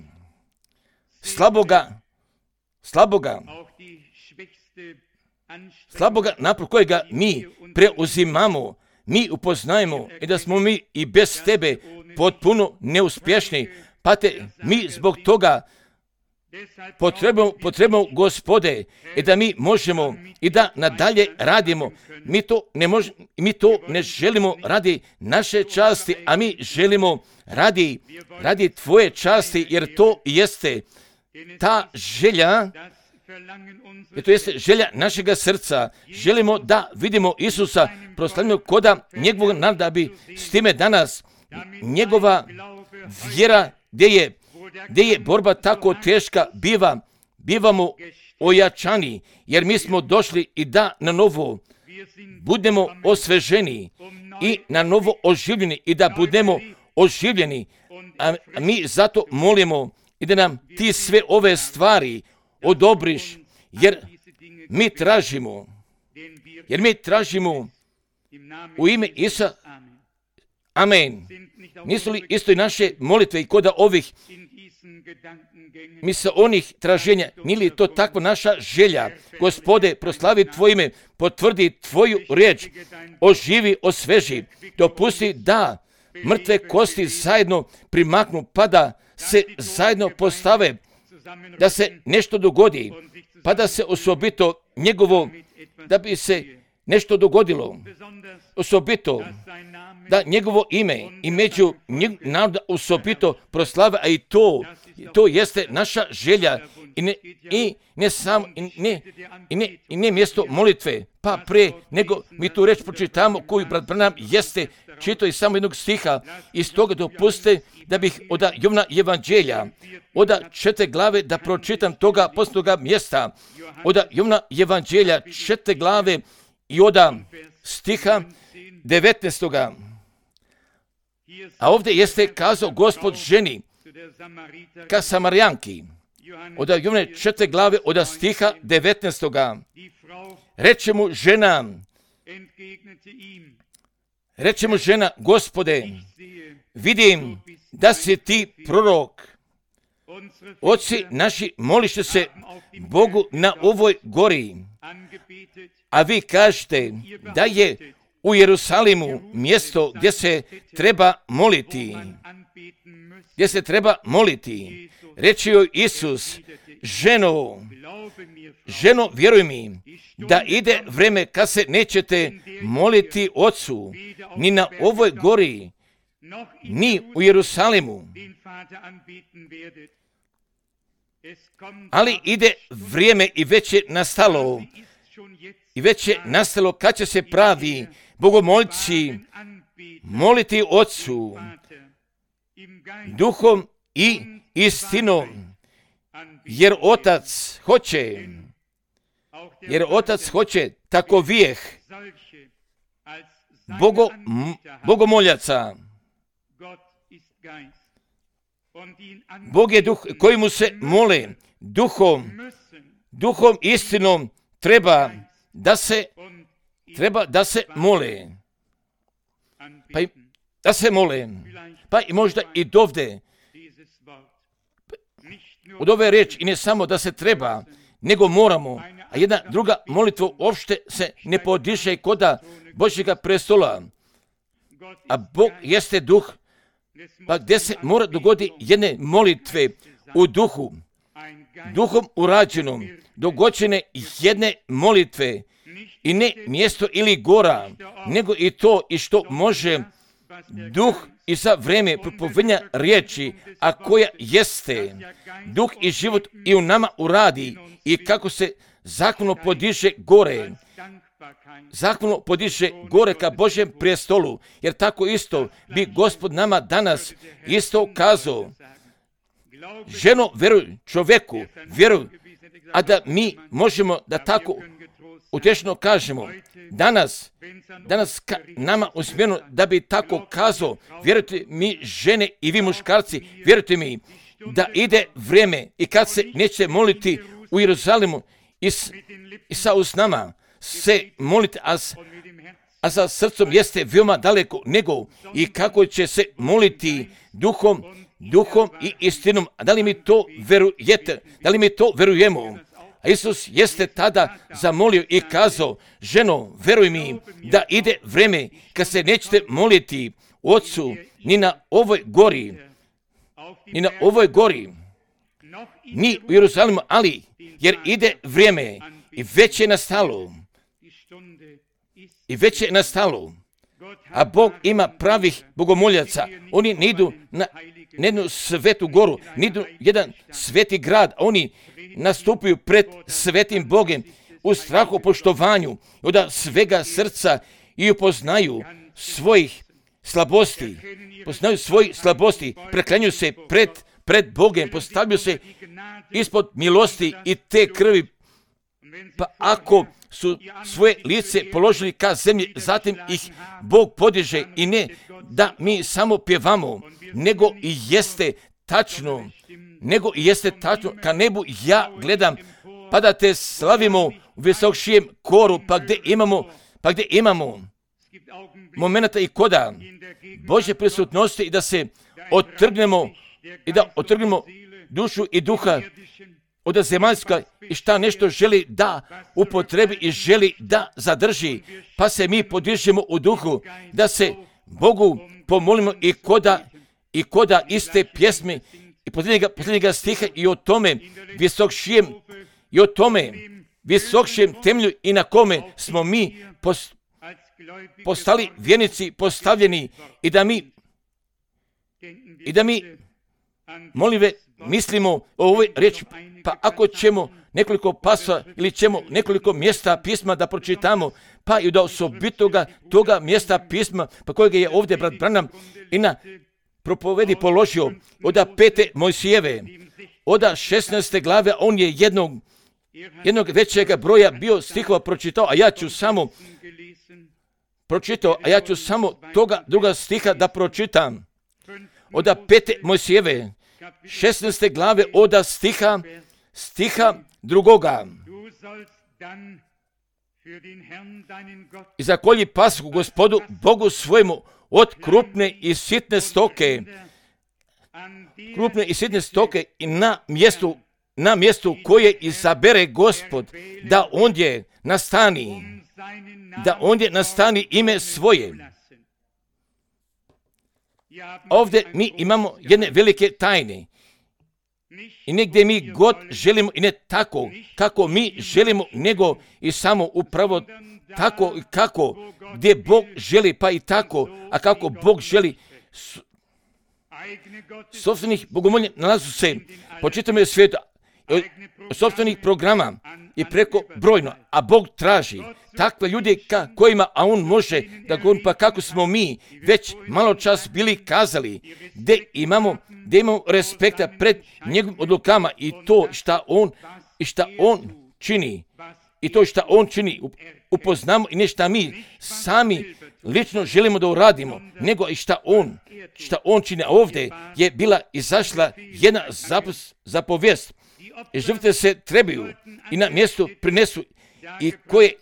slaboga, slaboga, slaboga napravo kojega mi preuzimamo, mi upoznajemo i da smo mi i bez tebe potpuno neuspješni, pa te mi zbog toga potrebujemo, potrebujemo Gospode i da mi možemo i da nadalje radimo. Mi to ne možemo, mi to ne želimo radi naše časti, a mi želimo radi, radi tvoje časti, jer to jeste ta želja, jer to jeste želja našega srca. Želimo da vidimo Isusa proslavljenog koda njegovog naroda, da bi s time danas njegova vjera gdje je gdje je borba tako teška, biva, bivamo ojačani, jer mi smo došli i da na novo budemo osveženi i na novo oživljeni i da budemo oživljeni, a mi zato molimo i da nam ti sve ove stvari odobriš, jer mi tražimo, jer mi tražimo u ime Isa, amen. Nisu li isto i naše molitve i koda ovih mi sa onih traženja, nije li to takva naša želja? Gospode, proslavi tvoje ime, potvrdi tvoju riječ, oživi, osveži, dopusti da mrtve kosti zajedno primaknu, pa da se zajedno postave, da se nešto dogodi, pa da se osobito njegovo, da bi se nešto dogodilo, osobito da njegovo ime i među naroda osobito proslave, a i to, to jeste naša želja i ne, i ne samo, i ne, i ne, i ne mjesto molitve, pa pre nego mi tu reč pročitamo koju brat Branham jeste čitao iz samo jednog stiha, iz toga dopuste da bih od Jovana evanđelja, od četiri glave da pročitam toga posljednoga mjesta, od Jovana evanđelja četiri glave i od stiha devetnaestoga. A ovdje jeste kazao Gospod ženi ka Samarijanki, od Jovane četiri glave od stiha devetnaestoga. Reče mu žena, reče mu žena, Gospode, vidim da si ti prorok. Oci naši moliše se Bogu na ovoj gori, a vi kažete da je u Jerusalimu mjesto gdje se treba moliti. Gdje se treba moliti. Reče joj Isus, ženo, ženo, vjeruj mi, da ide vreme kad se nećete moliti Ocu, ni na ovoj gori, ni u Jerusalimu. Ali ide vrijeme i već je nastalo, i već je nastalo kad će se pravi bogomoljci moliti Otcu duhom i istinom, jer Otac hoće, jer Otac hoće tako vijeh bogo, bogomoljaca. Bog je duh koji mu se mole, duhom, duhom istinom treba da se, treba da se mole. Pa i, da se mole. Pa i možda i dovde. Od ove riječi i ne samo da se treba, nego moramo. A jedna druga molitva uopšte se ne podiže koda Božjega prestola. A Bog jeste duh, pa gdje se mora dogoditi jedne molitve u duhu, duhom urađenom, dogođene jedne molitve i ne mjesto ili gora, nego i to i što može duh i za vrijeme propovedanja riječi, a koja jeste duh i život i u nama uradi i kako se zakonom podiže gore. Zakonom podiže gore ka Božjem prijestolu, jer tako isto bi Gospod nama danas isto kazao. Ženo, vjeruj čovjeku, vjeruj, a da mi možemo da tako utješno kažemo. Danas, danas ka nama usmjereno da bi tako kazao, vjerujte mi žene i vi muškarci, vjerujte mi da ide vrijeme i kad se neće moliti u Jeruzalemu i, s, i sa usnama se moliti, a, a sa srcom jeste veoma daleko nego i kako će se moliti duhom, duhom i istinom. A da li mi to verujete? Da li mi to verujemo? A Isus jeste tada zamolio i kazao, ženo, veruj mi da ide vrijeme kad se nećete moliti Otcu ni na ovoj gori, ni na ovoj gori, ni u Jeruzalemu, ali jer ide vrijeme i već je nastalo. I već je nastalo. A Bog ima pravih bogomoljaca. Oni ne idu na jednu svetu goru, ne idu jedan sveti grad, oni nastupaju pred svetim Bogem u strahu poštovanju od svega srca i upoznaju svojih slabosti. Poznaju svojih slabosti, preklanjaju se pred, pred Bogem, postavljaju se ispod milosti i te krvi. Pa ako su svoje lice položili ka zemlji, zatim ih Bog podiže i ne da mi samo pjevamo, nego i jeste tačno, nego i jeste tačno, ka nebu ja gledam, pa da te slavimo u visokšijem koru, pa gdje imamo, pa gdje imamo momenata i koda Božje prisutnosti i da se otrgnemo i da otrgnemo dušu i duha od zemaljska i šta nešto želi da upotrebi i želi da zadrži, pa se mi podižemo u duhu, da se Bogu pomolimo i koda, i koda iste pjesme i posljednjega, posljednjega stiha i o tome visokšijem, i o tome visokšijem temelju i na kome smo mi post, postali vjernici postavljeni i da mi i da mi molive mislimo o ovoj riječi. Pa ako ćemo nekoliko pasova ili ćemo nekoliko mjesta pisma da pročitamo, pa i da osobitoga toga mjesta pisma, pa kojega je ovdje brat Branham i na propovedi položio od pete Mojsijeve, od šesnaeste glave, on je jednog, jednog većega broja bio stihova pročitao, a ja ću samo pročitao, a ja ću samo toga druga stiha da pročitam. Od pete Mojsijeve, šesnaeste glave, od stiha, stiha drugoga. I zakolji pasku Gospodu Bogu svojemu od krupne i sitne stoke, krupne i sitne stoke i na mjestu, na mjestu koje izabere Gospod, da ondje nastani, da ondje nastani ime svoje. Ovdje mi imamo jedne velike tajne. I negdje mi god želimo, i ne tako kako mi želimo, nego i samo upravo tako i kako, gdje Bog želi, pa i tako, a kako Bog želi. Sopstvenih bogomolja nalazu se po čitavom svijetu, sopstvenih programa i preko brojno, a Bog traži takve ljude ka kojima, a On može da govorim, pa kako smo mi već malo čas bili kazali, gdje imamo, gdje imamo respekta pred njegovim odlukama i to šta On, i šta On čini, i to šta On čini, upoznamo i ne šta mi sami lično želimo da uradimo, nego i šta On, šta On čini. A ovdje je bila izašla jedna zapovijest. I žrtve se trebaju i na mjestu prinesu i koje,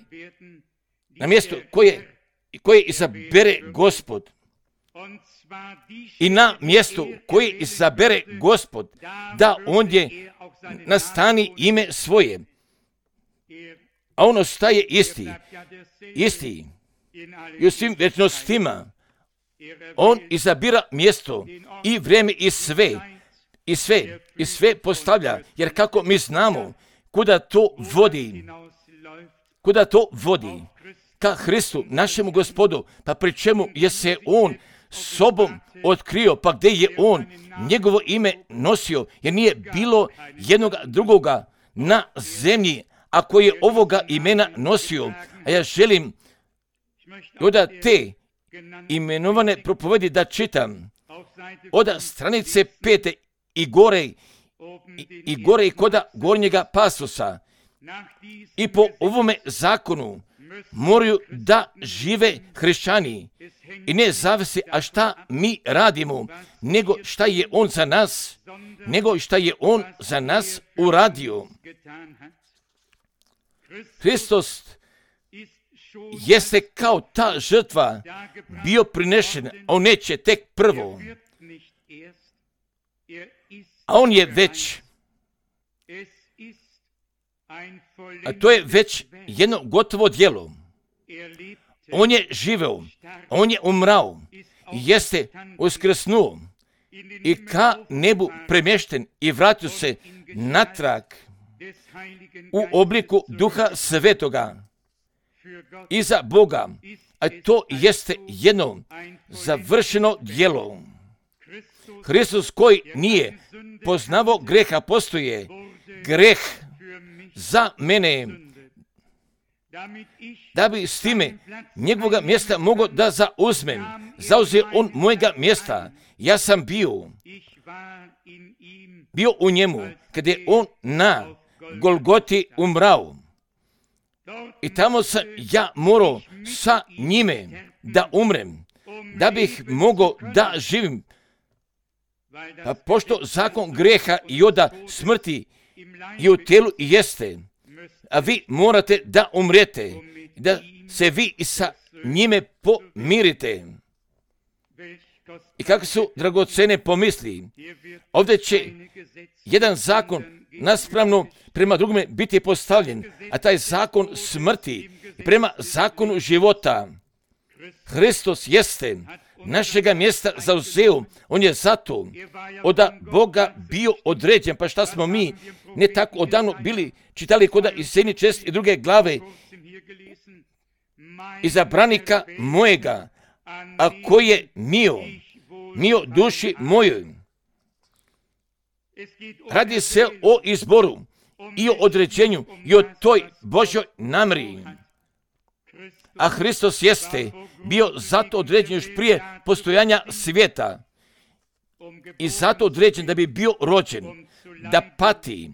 na mjesto koje, koje izabere Gospod. I na mjestu koje izabere Gospod, da ondje nastani ime svoje. A on ostaje isti, isti. I u svim večnostima on izabira mjesto i vrijeme i sve. I sve, i sve postavlja, jer kako mi znamo kuda to vodi, kuda to vodi, ka Hristu, našemu Gospodu, pa pri čemu je se On sobom otkrio, pa gdje je On njegovo ime nosio, jer nije bilo jednog drugoga na zemlji, a koji je ovoga imena nosio. A ja želim od te imenovane propovedi da čitam od stranice pete i gore, i, i gore i koda gornjega pasosa. I po ovome zakonu moraju da žive hrišćani i ne zavisi, a šta mi radimo, nego šta je On za nas, nego šta je On za nas uradio. Hristos jeste kao ta žrtva bio prinešen, a On neće tek prvo. A On je već, a to je već jedno gotovo djelo. On je živeo, On je umrao, jeste uskrsnuo i ka nebu premješten i vratio se natrag u obliku Duha Svetoga iza Boga. A to jeste jedno završeno djelo. Hristos koji nije poznavao greha, postoje greh za mene, da bi s time njegovoga mjesta mogao da zauzmem. Zauzeo On mojega mjesta. Ja sam bio, bio u njemu, kada je On na Golgoti umrao. I tamo sam ja morao sa njime da umrem, da bih mogao da živim. Pa pošto zakon greha i oda smrti i u tijelu jeste, a vi morate da umrete, da se vi i sa njime pomirite. I kako su dragocene pomisli, ovdje će jedan zakon naspravno prema drugome biti postavljen, a taj zakon smrti prema zakonu života. Hristos jeste našega mjesta zauzeo, On je zato od Boga bio određen. Pa šta smo mi ne tako odavno bili čitali koda iz sedme čest i druge glave, izabranika mojega, a koji je mio, mio duši mojoj. Radi se o izboru i o određenju i o toj Božjoj namjeri. A Hristos jeste bio zato određen još prije postojanja svijeta i zato određen da bi bio rođen, da pati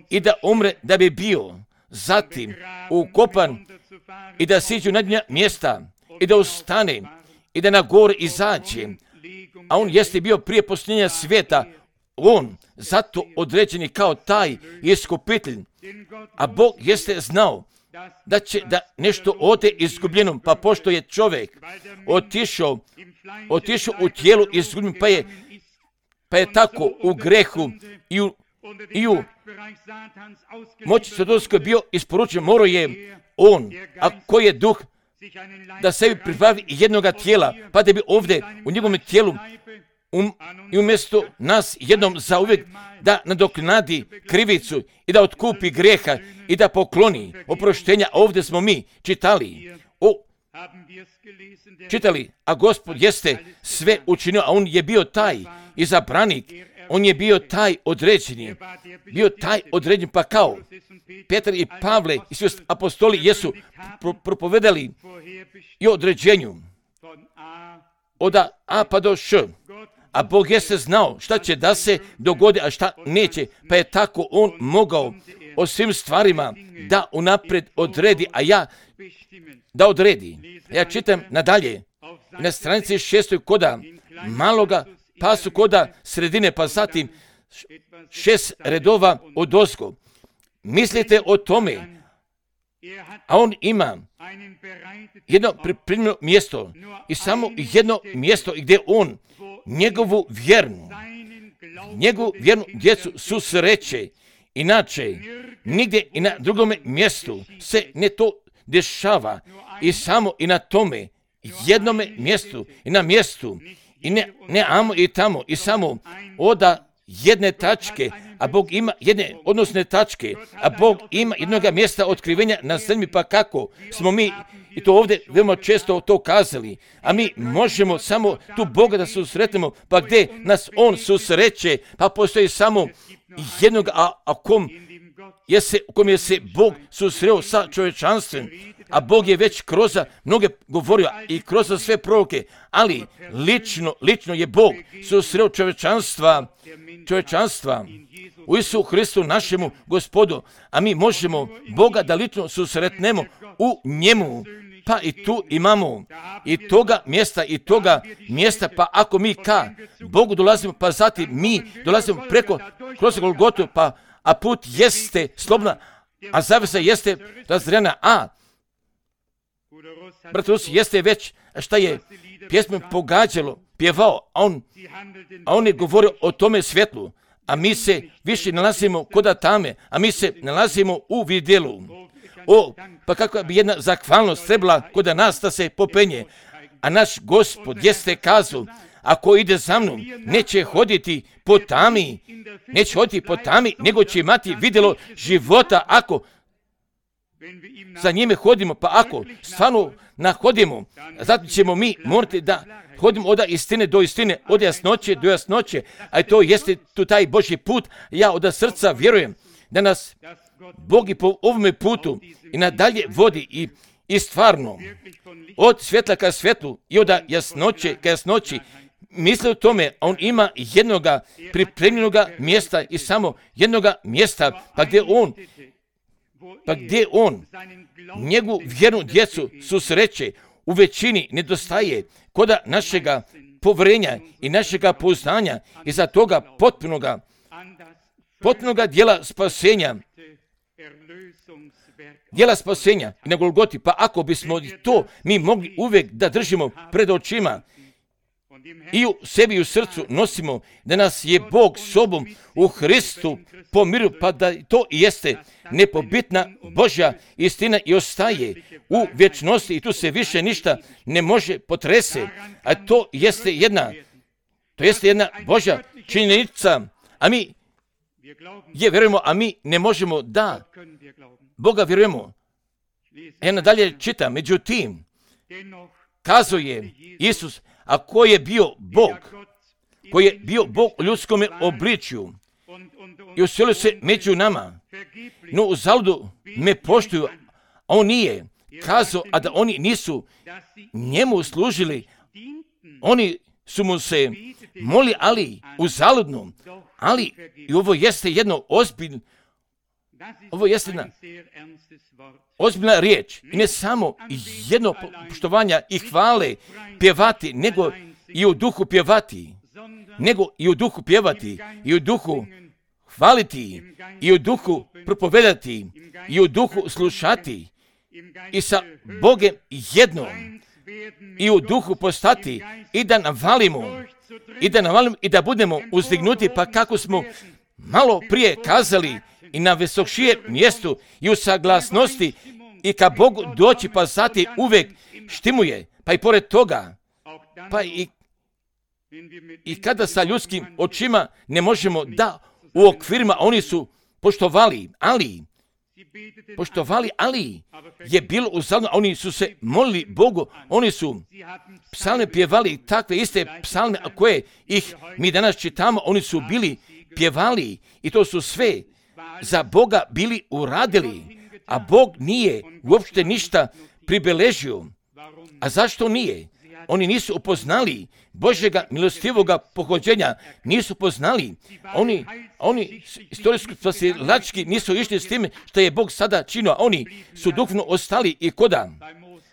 i da umre, da bi bio zatim ukopan i da siđu na dnja mjesta i da ustane i da na gore izađe. A On jeste bio prije postojanja svijeta, On zato određeni kao taj iskupitelj. A Bog jeste znao da će da nešto ode izgubljeno, pa pošto je čovjek otišao, otišao u tijelu izgubljen, pa je, pa je tako u grehu i u, i u moći Satanskoj bio isporučen, morao je on, a koji je duh, da sebi pribavi jednoga tijela, pa da bi ovdje u njegovom tijelu um, i umjesto nas jednom zauvijek da nadoknadi krivicu i da otkupi grijeha i da pokloni oproštenja. Ovdje smo mi čitali, o, čitali, a Gospod jeste sve učinio, a on je bio taj izabranik, on je bio taj određeni, bio taj određen, pa kao Petar i Pavle i svi apostoli jesu pro- propovedali i određenju od A pa do Š, a Bog jeste znao šta će da se dogodi, a šta neće, pa je tako on mogao o svim stvarima da unaprijed odredi, a ja da odredi. Ja čitam nadalje, na stranici šestoj koda maloga, pa su koda sredine, pa zatim šest redova od ozgo. Mislite o tome, a on ima jedno pripremljeno mjesto i samo jedno mjesto gdje on njegovu vjernu, njegovu vjernu djecu susreće. Inače, nigdje i na drugome mjestu se ne to dešava i samo i na tome jednome mjestu i na mjestu i ne, ne amo i tamo i samo oda jedne tačke, a Bog ima jedne odnosne tačke, a Bog ima jednoga mjesta otkrivenja na zemlji, pa kako smo mi, i to ovdje veoma često to kazali, a mi možemo samo tu Boga da susretnemo, pa gdje nas On susreće, pa postoji samo jednog, a, a kom je se, kom je se Bog susreo sa čovječanstvom, a Bog je već kroz mnoge govorio i kroz sve proroke, ali lično, lično je Bog susreo čovječanstva, čovječanstva u Isu Hristu našemu Gospodu, a mi možemo Boga da lično susretnemo u njemu, pa i tu imamo i toga mjesta i toga mjesta, pa ako mi ka Bogu dolazimo, pa zatim mi dolazimo preko kroz Golgotu, pa a put jeste slobodna, a zavesa jeste razrejana, a brat Rus jeste već šta je pjesmom pogađalo, pjevao, a on, a on je govorio o tome svjetlu, a mi se više nalazimo koda tame, a mi se nalazimo u vidjelu. O, pa kako bi jedna zahvalnost trebala koda nas da se popenje, a naš Gospod jeste kazao, ako ide za mnom, neće hoditi po tami, neće hoditi po tami, nego će imati vidjelo života ako za njime hodimo, pa ako stvarno nahodimo, zato ćemo mi morati da hodimo od istine do istine, od jasnoće do jasnoće, a to jeste tu taj Božji put. Ja od srca vjerujem da nas Bog i po ovome putu i nadalje vodi i, i stvarno od svjetla ka svjetlu i od jasnoće ka jasnoći. Misli o tome, on ima jednoga pripremljenoga mjesta i samo jednoga mjesta, pa gdje on pa gdje on njegovu vjernu djecu susreće, u većini nedostaje koda našega povjerenja i našega poznanja i za toga potpunoga, potpunoga dijela spasenja, dijela spasenja i na Golgoti, pa ako bismo to mi mogli uvijek da držimo pred očima i u sebi i u srcu nosimo da nas je Bog sobom u Hristu pomirio, pa da to i jeste nepobitna Božja istina i ostaje u vječnosti i tu se više ništa ne može potrese, a to jeste jedna, to jeste jedna Božja činjenica, a mi je vjerujemo, a mi ne možemo da Boga vjerujemo. Ja nadalje čitam, međutim, kazuje Isus, a ko je bio Bog, koji je bio Bog u ljudskom obličju i uselio se među nama, no u zaludu me poštuju, a on nije kazao, a da oni nisu njemu služili, oni su mu se moli, ali u zaludnom, ali i ovo jeste jedno ozbiljno, ovo jeste jedna ozbiljna riječ i ne samo jedno poštovanja i hvale pjevati, nego i u duhu pjevati, nego i u duhu pjevati, i u duhu hvaliti, i u duhu propovedati, i u duhu slušati, i sa Bogom jedno i u duhu postati i da navalimo i da navalimo i da budemo uzdignuti, pa kako smo malo prije kazali, i na visokšije mjestu i u saglasnosti i ka Bogu doći, pa zati uvek štimuje, pa i pored toga, pa i, i kada sa ljudskim očima ne možemo da u okvirima, oni su poštovali, ali poštovali, ali je bilo uzalno, oni su se molili Bogu, oni su psalme pjevali, takve iste psalme koje ih mi danas čitamo, oni su bili pjevali i to su sve za Boga bili uradili, a Bog nije uopšte ništa pribeležio. A zašto nije? Oni nisu upoznali Božjega milostivoga pohođenja, nisu poznali. Oni, oni istorijski spasilački nisu išli s tim što je Bog sada činio, oni su duhovno ostali i koda,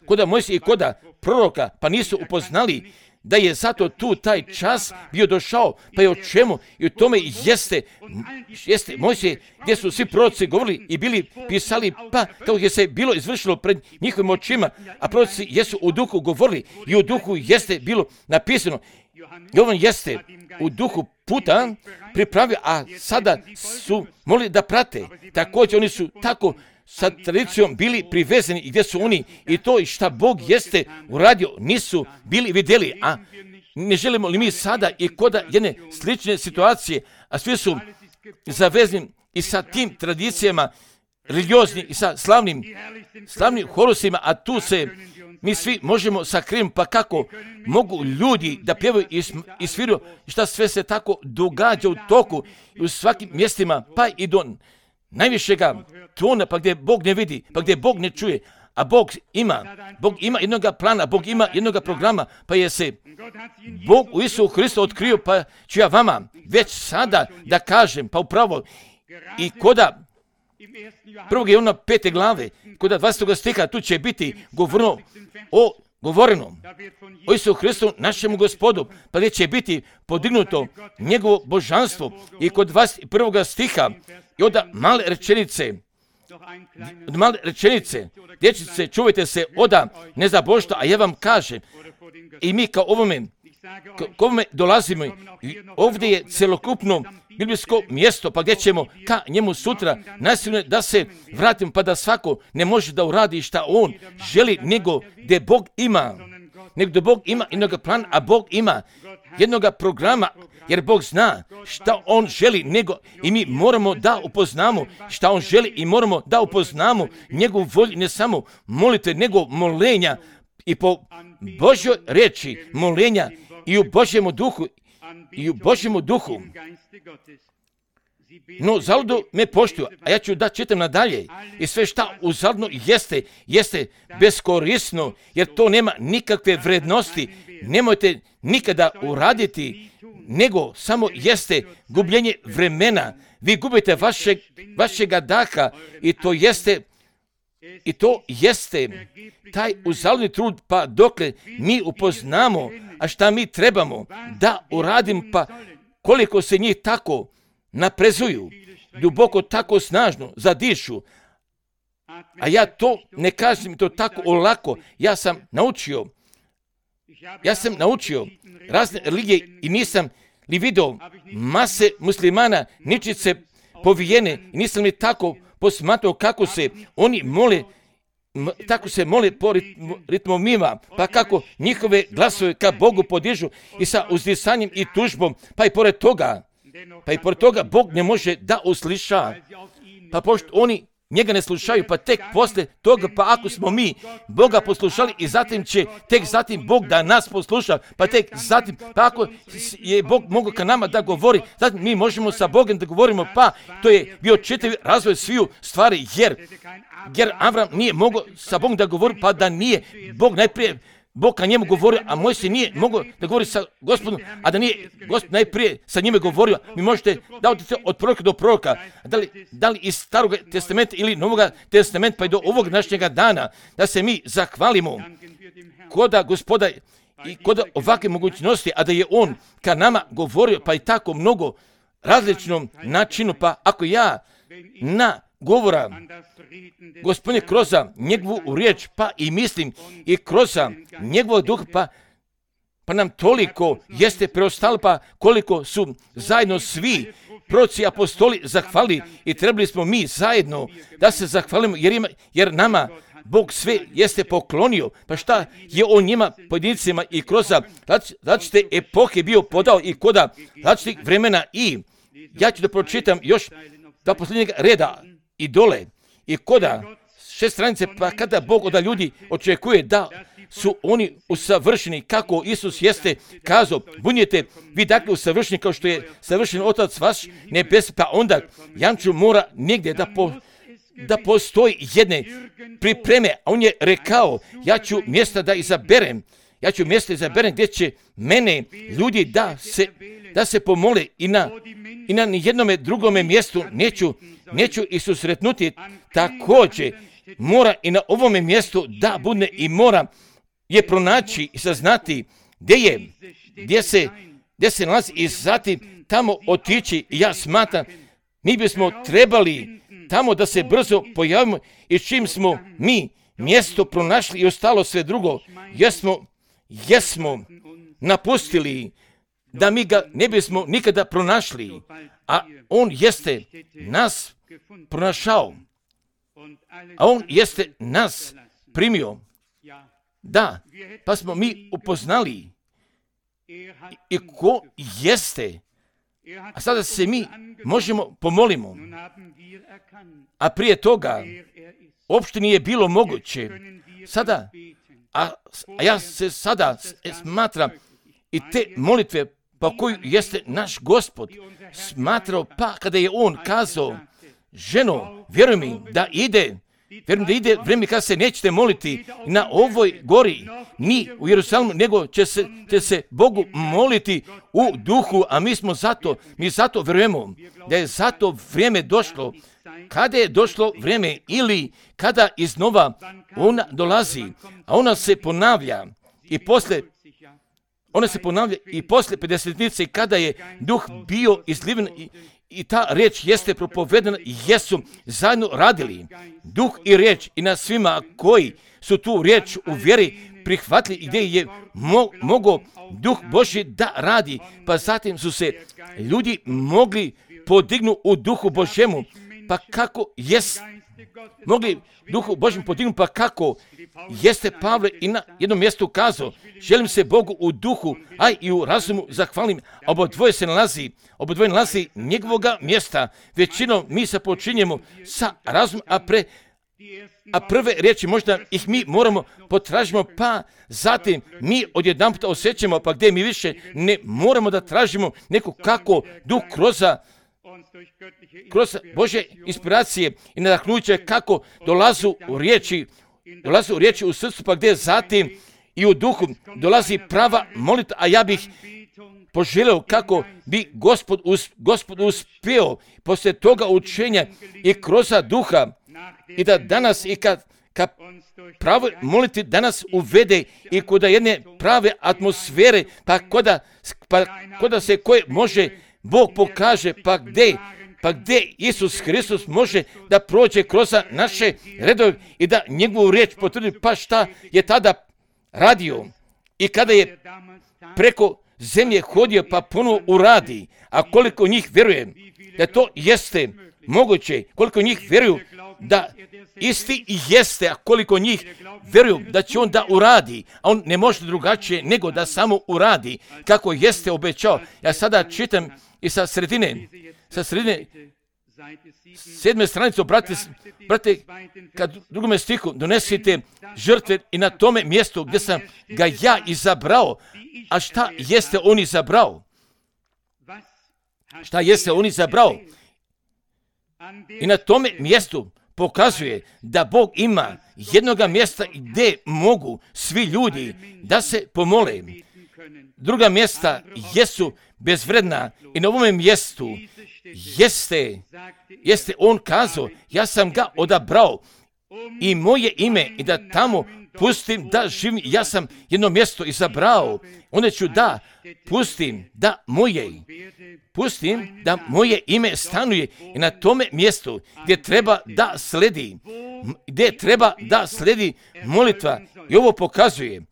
koda Mojsija i koda proroka, pa nisu upoznali da je zato tu taj čas bio došao, pa je o čemu i u tome jeste, jeste Mojsije, gdje su svi proroci govorili i bili pisali, pa kako je se bilo izvršilo pred njihovim očima, a proroci jesu u duhu govorili i u duhu jeste bilo napisano. Jovan jeste u duhu puta pripravio, a sada su mogli da prate. Također oni su tako sa tradicijom bili privezani i gdje su oni i to i šta Bog jeste uradio nisu bili vidjeli, a ne želimo li mi sada i koda jedne slične situacije, a svi su zavezani i sa tim tradicijama religiozni i sa slavnim, slavnim horusima, a tu se mi svi možemo sakriti, pa kako mogu ljudi da pjevaju i, i sviraju, šta sve se tako događa u toku i u svakim mjestima, pa i do najvišega tona, pa gdje Bog ne vidi, pa gdje Bog ne čuje, a Bog ima, Bog ima jednoga plana, Bog ima jednoga programa, pa je se Bog u Isusu Hristu otkrio, pa ću ja vama već sada da kažem, pa upravo i koda prvog Jovana pete glave, koda dvadesetog stiha, tu će biti govoreno o govoreno o Isusu Hristu, našemu Gospodu, pa gdje će biti podignuto njegovo božanstvo i kod dvadeset prvog stiha i od male rečenice, od male rečenice, dječice, čuvajte se oda nezabožstva, a ja vam kažem, i mi kao ovome, kao ovome dolazimo, i ovdje je celokupno biblijsko mjesto, pa gdje ćemo ka njemu sutra nasilno da se vratimo, pa da svako ne može da uradi šta on želi, nego gdje Bog ima, nego gdje Bog ima jednog plana, a Bog ima jednog programa, jer Bog zna šta on želi, nego i mi moramo da upoznamo šta on želi i moramo da upoznamo njegovu volju, ne samo molite, nego molenja i po Božjoj reči molenja i u Božjemu duhu i u Božjemu duhu. No, zaludo me poštuju, a ja ću da čitam nadalje i sve šta uzaludno jeste, jeste beskorisno, jer to nema nikakve vrednosti, nemojte nikada uraditi, nego samo jeste gubljenje vremena. Vi gubite vašeg, vašega daha i to jeste I to jeste taj uzaludni trud, pa dokle mi upoznamo, a šta mi trebamo da uradim, pa koliko se njih tako naprezuju, duboko tako snažno zadišu. A ja to ne kažem to tako olako, ja sam naučio, ja sam naučio razne religije i nisam li video mase muslimana ničice povijene i nisam li tako posmatrao kako se oni mole, tako se mole po ritmovima, pa kako njihove glasove ka Bogu podižu i sa uzdisanjem i tužbom, pa i pored toga, pa i pored toga Bog ne može da usliša, pa pošto oni njega ne slušaju, pa tek posle toga, pa ako smo mi Boga poslušali i zatim će tek zatim Bog da nas posluša, pa tek zatim, pa ako je Bog mogao ka nama da govori, zatim mi možemo sa Bogom da govorimo, pa to je bio čitav razvoj sviju stvari, jer, jer Avram nije mogao sa Bogom da govori, pa da nije Bog najprije Bog ka njemu govorio, a Mojsije nije mogao da govori sa Gospodom, a da nije Gospod najprije sa njime govorio. Mi možete da odete od proroka do proroka, da li, da li iz Starog testamenta ili Novog testamenta, pa i do ovog današnjega dana, da se mi zahvalimo koda Gospoda i koda ovakve mogućnosti, a da je On ka nama govorio, pa i tako mnogo različnom načinu, pa ako ja na govora Gospodine kroz njegovu riječ, pa i mislim i kroz njegovog duha, pa, pa nam toliko jeste preostalo, pa koliko su zajedno svi proroci, apostoli zahvalili i trebali smo mi zajedno da se zahvalimo, jer, ima, jer nama Bog sve jeste poklonio. Pa šta je on njima pojedincima i kroz različite epohe bio podao i koda različitih vremena. I ja ću da pročitam još do posljednjeg reda i dole i koda šest stranice, pa kada Bog od ljudi očekuje da su oni usavršeni kako Isus jeste kazao, budite vi dakle usavršeni kao što je savršen Otac vaš nebes, pa onda Janču mora negdje da po da postoji jedne pripreme, a on je rekao, ja ću mjesta da izaberem, ja ću mjesta izaberem gdje će mene ljudi da se, da se pomole i na, i na nijednome drugome mjestu neću, neću i susretnuti. Također mora i na ovome mjestu da bude i mora je pronaći i saznati gdje je, gdje se, gdje se nalazi i zatim tamo otići. I ja smatram, mi bismo trebali tamo da se brzo pojavimo i čim smo mi mjesto pronašli i ostalo sve drugo, jesmo, jesmo napustili da mi ga ne bismo nikada pronašli, a on jeste nas pronašao, a on jeste nas primio. Da, pa smo mi upoznali i, i ko jeste, a sada se mi možemo pomolimo. A prije toga uopšte nije bilo moguće. Sada, a, a ja se sada smatram i te molitve pa koju jeste naš Gospod smatrao, pa kada je on kazao, ženo, vjeruj mi da ide, vjerujem da ide vrijeme kada se nećete moliti na ovoj gori, ni u Jerusalimu, nego će se, će se Bogu moliti u duhu, a mi smo zato, mi zato vjerujemo da je zato vrijeme došlo. Kada je došlo vrijeme ili kada iznova ona dolazi, a ona se ponavlja i posle ona se ponavlja i posle pedesetnice kada je duh bio izliven i, i ta riječ jeste propovedana, jesu zajedno radili duh i riječ i na svima koji su tu riječ u vjeri prihvatili i gdje je mo, mogao duh Božji da radi, pa zatim su se ljudi mogli podignu u duhu Božjemu. Pa kako jest mogli duhu Božjem podignuti, pa kako jeste Pavle i na jednom mjestu kazao, želim se Bogu u duhu, a i u razumu zahvalim, a obodvoje se nalazi, obodvoje nalazi njegovoga mjesta. Većinom mi se počinjemo sa razumom, a pre a prve riječi možda ih mi moramo potražimo, pa zatim mi odjedanput osjećamo, pa gdje mi više ne moramo da tražimo neko kako duh kroz kroz Božje inspiracije i nadahnuće kako dolazu u riječi, dolazu u riječi u srcu, pa gdje zatim i u duhu dolazi prava molitva, a ja bih poželio kako bi Gospod, us, Gospod uspio poslije toga učenja i kroz duha i da danas i kad, kad pravo moliti danas uvede i kod jedne prave atmosfere, pa koda, pa koda se koje može Bog pokaže, pa gdje, pa gdje Isus Hristos može da prođe kroz naše redove i da njegovu riječ potvrdi, pa šta je tada radio i kada je preko zemlje hodio, pa ponovo uradi, a koliko njih vjeruje da to jeste moguće, koliko njih vjeruju da isti i jeste, a koliko njih vjeruju da će on da uradi, a on ne može drugačije nego da samo uradi kako jeste obećao. Ja sada čitam i sa sredine, sa sredine sedme stranice, brate, brate, kad drugome stihu donesite žrtve i na tome mjestu gdje sam ga ja izabrao, a šta jeste on izabrao? Šta jeste on izabrao? I na tome mjestu pokazuje da Bog ima jednoga mjesta gdje mogu svi ljudi da se pomole. Druga mjesta jesu bezvredna i na ovome mjestu jeste, jeste on kazao, ja sam ga odabrao i moje ime i da tamo pustim da živim, ja sam jedno mjesto izabrao, onda ću da pustim da moje, pustim da moje ime stanuje i na tome mjestu gdje treba da sledi, gdje treba da sledi molitva. I ovo pokazuje,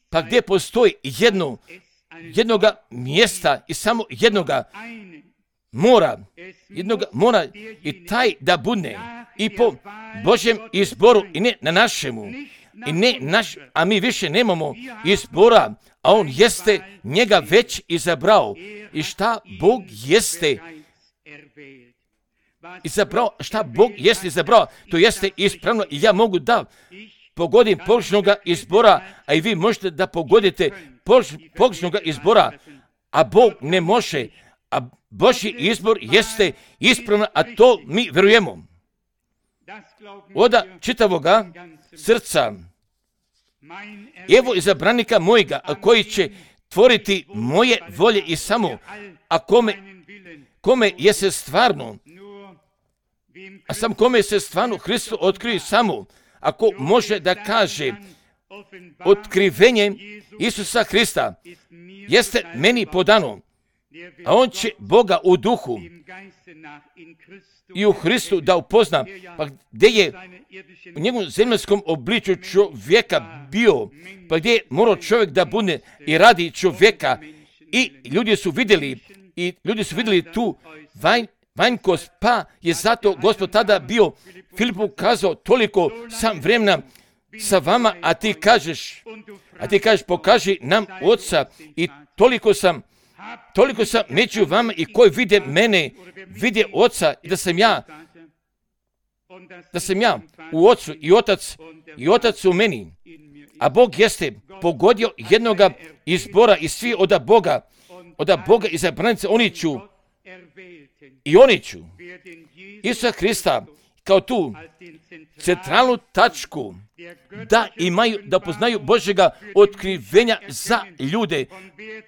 pa gdje postoji jedno, jednoga mjesta i samo jednoga mora, jednoga mora i taj da bude i po Božjem izboru i ne na našemu. I ne naš, a mi više nemamo izbora, a on jeste njega već izabrao. I šta Bog jeste izabrao, šta Bog jeste izabrao, to jeste ispravno i ja mogu da pogodim pogrešnoga izbora, a i vi možete da pogodite pogrešnoga izbora, a Bog ne može, a Božji izbor jeste ispravno, a to mi vjerujemo. Oda čitavoga srca, evo izabranika mojega, koji će tvoriti moje volje i samo, a kome, kome je se stvarno, a sam kome se stvarno Hristu otkrije samo, ako može da kaže, otkrivenje Isusa Hrista jeste meni podano, a on će Boga u duhu i u Hristu da upozna, pa gdje je u njegovom zemaljskom obličju čovjeka bio, pa gdje je morao čovjek da bude i radi čovjeka, i ljudi su vidjeli, i ljudi su vidjeli tu vanj, vanjkost, pa je zato Gospod tada bio Filipu kazao, toliko sam vremena sa vama, a ti kažeš, a ti kažeš, pokaži nam Oca, i toliko sam Toliko sam među vama i koji vide mene, vide Oca, i da sam ja, da sam ja u Ocu i Otac, i Otac u meni. A Bog jeste pogodio jednoga izbora i svi od Boga, od Boga izabranice, oni ću, i oni ću Isusa Hrista kao tu centralnu tačku da imaju, da poznaju Božjega otkrivenja za ljude,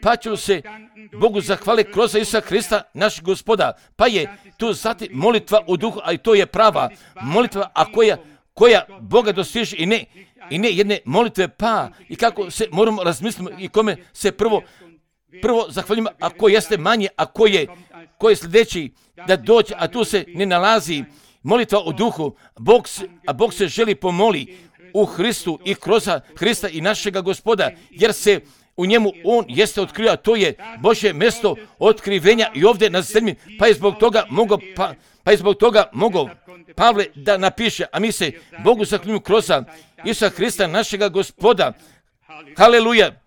pa ću se Bogu zahvali kroz Isusa Hrista, naš Gospoda. Pa je tu zatim molitva u duhu, a i to je prava molitva, a koja, koja Boga dostiže, i ne, i ne jedne molitve, pa i kako se moramo razmisliti i kome se prvo, prvo zahvaljujemo, a ko jeste manje, a ko je, ko je sljedeći da dođe, a tu se ne nalazi molitva u duhu, Bog se, a Bog se želi pomoli u Hristu i kroz Hrista i našega Gospoda, jer se u njemu on jeste otkrio, a to je Božje mjesto otkrivenja i ovdje na zemlji, pa je zbog toga mogao, pa, pa je zbog toga mogao Pavle da napiše, a mi se Bogu zahvaljujemo kroz Isusa Hrista našega Gospoda. Haleluja!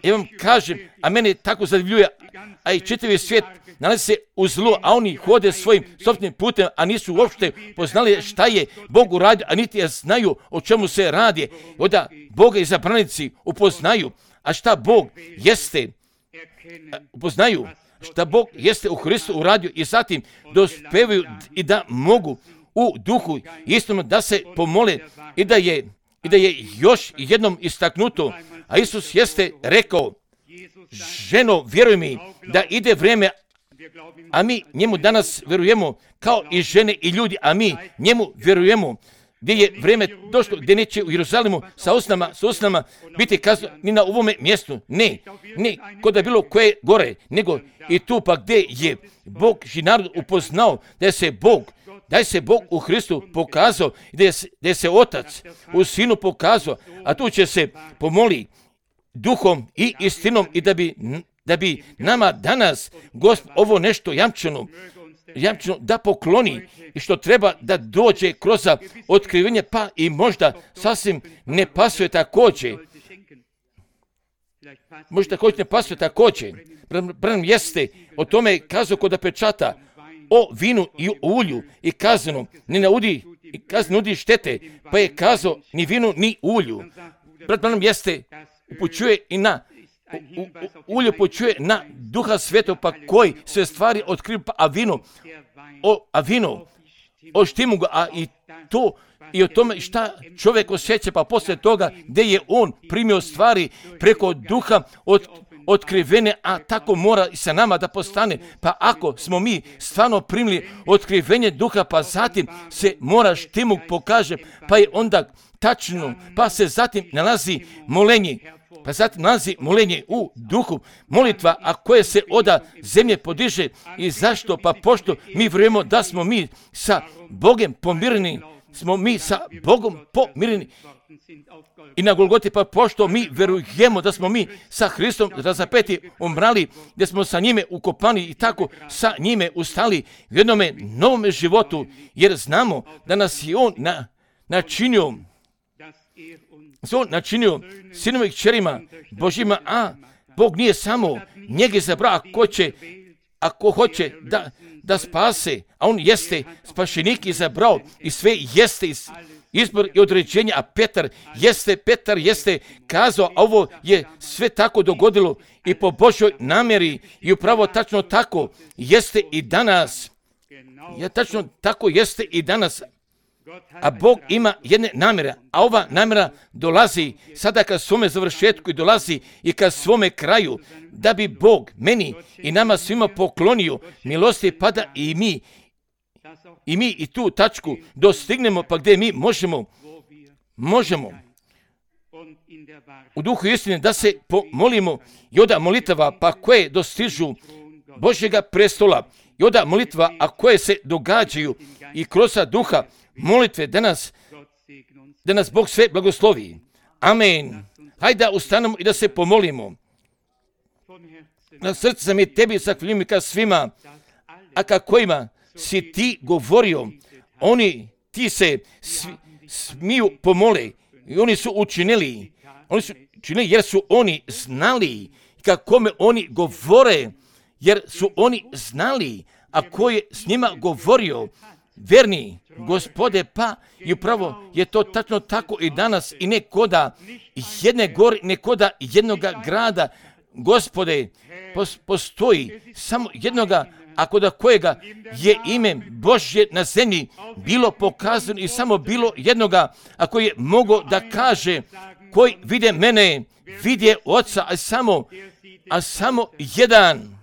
Ja vam kažem, a mene tako zadivljuje, a i čitavi svijet nalazi se u zlu, a oni hode svojim sopstvenim putem, a nisu uopšte poznali šta je Bog uradio, a niti je znaju o čemu se radi. Onda Boga izabranici upoznaju, a šta Bog jeste, upoznaju šta Bog jeste u Hristu uradio, i zatim dospevaju i da mogu u duhu istinu da se pomole, i da je, i da je još jednom istaknuto, a Isus jeste rekao, ženo, vjeruj mi da ide vrijeme, a mi njemu danas vjerujemo kao i žene i ljudi, a mi njemu vjerujemo, gdje je vrijeme došlo, gdje neće u Jeruzalemu sa usnama, sa usnama biti kazano ni na ovome mjestu, ne, ne, kod da bilo koje gore, nego i tu pa gdje je Bog i narod upoznao da je se Bog, da je se Bog u Hristu pokazao, da je, da je se Otac u Sinu pokazao, a tu će se pomoli duhom i istinom, i da bi, da bi nama danas Gospod ovo nešto jamčeno, jamčeno da pokloni, i što treba da dođe kroz otkrivenje, pa i možda sasvim ne pasuje također. Možda također ne pasuje također. Branham jeste o tome kazao kod pečata o vinu i ulju i kazano ne naudi, i kazano nudi štete, pa je kazao ni vinu ni ulju. Brat Branham jeste upućuje i na u, u, ulje upućuje na Duha Svetog, pa koji sve stvari otkriva, pa a vino o a vino o štimu ga, a i to i o tome šta čovjek osjeća, pa poslije toga gdje je on primio stvari preko Duha od otkrivene, a tako mora i sa nama da postane. Pa ako smo mi stvarno primili otkrivenje Duha, pa zatim se mora štimuk pokaže, pa je onda tačno, pa se zatim nalazi molenje, pa zatim nalazi molenje u duhu, molitva, a koje se oda zemlje podiže. I zašto? Pa pošto mi vjerujemo da smo mi sa Bogom pomireni, smo mi sa Bogom pomireni. I na Golgoti, pa pošto mi verujemo da smo mi sa Hristom razapeti, umrali, da smo sa njime ukopani i tako sa njime ustali u jednome novome životu, jer znamo da nas je On na, načinio, se On načinio sinova i kćerima Božjima, a Bog nije samo njega izabrao, ako će, ako hoće da, da spase, a On jeste spašenik izabrao i sve jeste iz izbor i određenje, a Petar jeste, Petar jeste kazao, a ovo je sve tako dogodilo i po Božjoj namjeri i upravo tačno tako jeste i danas. Ja, tačno tako jeste i danas. A Bog ima jedne namjere, a ova namjera dolazi sada ka svome završetku i dolazi i ka svome kraju, da bi Bog meni i nama svima poklonio milosti, pa da i mi I mi i tu tačku dostignemo, pa gdje mi možemo, možemo u duhu istine da se pomolimo i oda molitava, pa koje dostižu Božjega prestola, i oda molitva, a koje se događaju i kroz duha molitve, da nas, da nas Bog sve blagoslovi. Amen. Hajde da ustanemo i da se pomolimo. Na srce mi tebi zahvaljujem ka svima, a ka kojima si ti govorio, oni ti se svi, smiju pomole i oni su učinili, oni su učinili jer su oni znali kako me oni govore, jer su oni znali, a ko je s njima govorio, verni Gospode, pa i upravo je to tačno tako i danas i nekoda jedne gore, nekoda jednoga grada, Gospode, postoji samo jednoga, ako da kojega je ime Božje na zemlji bilo pokazano i samo bilo jednoga, ako je mogo da kaže, koji vide mene, vidje Oca, a samo, a samo jedan,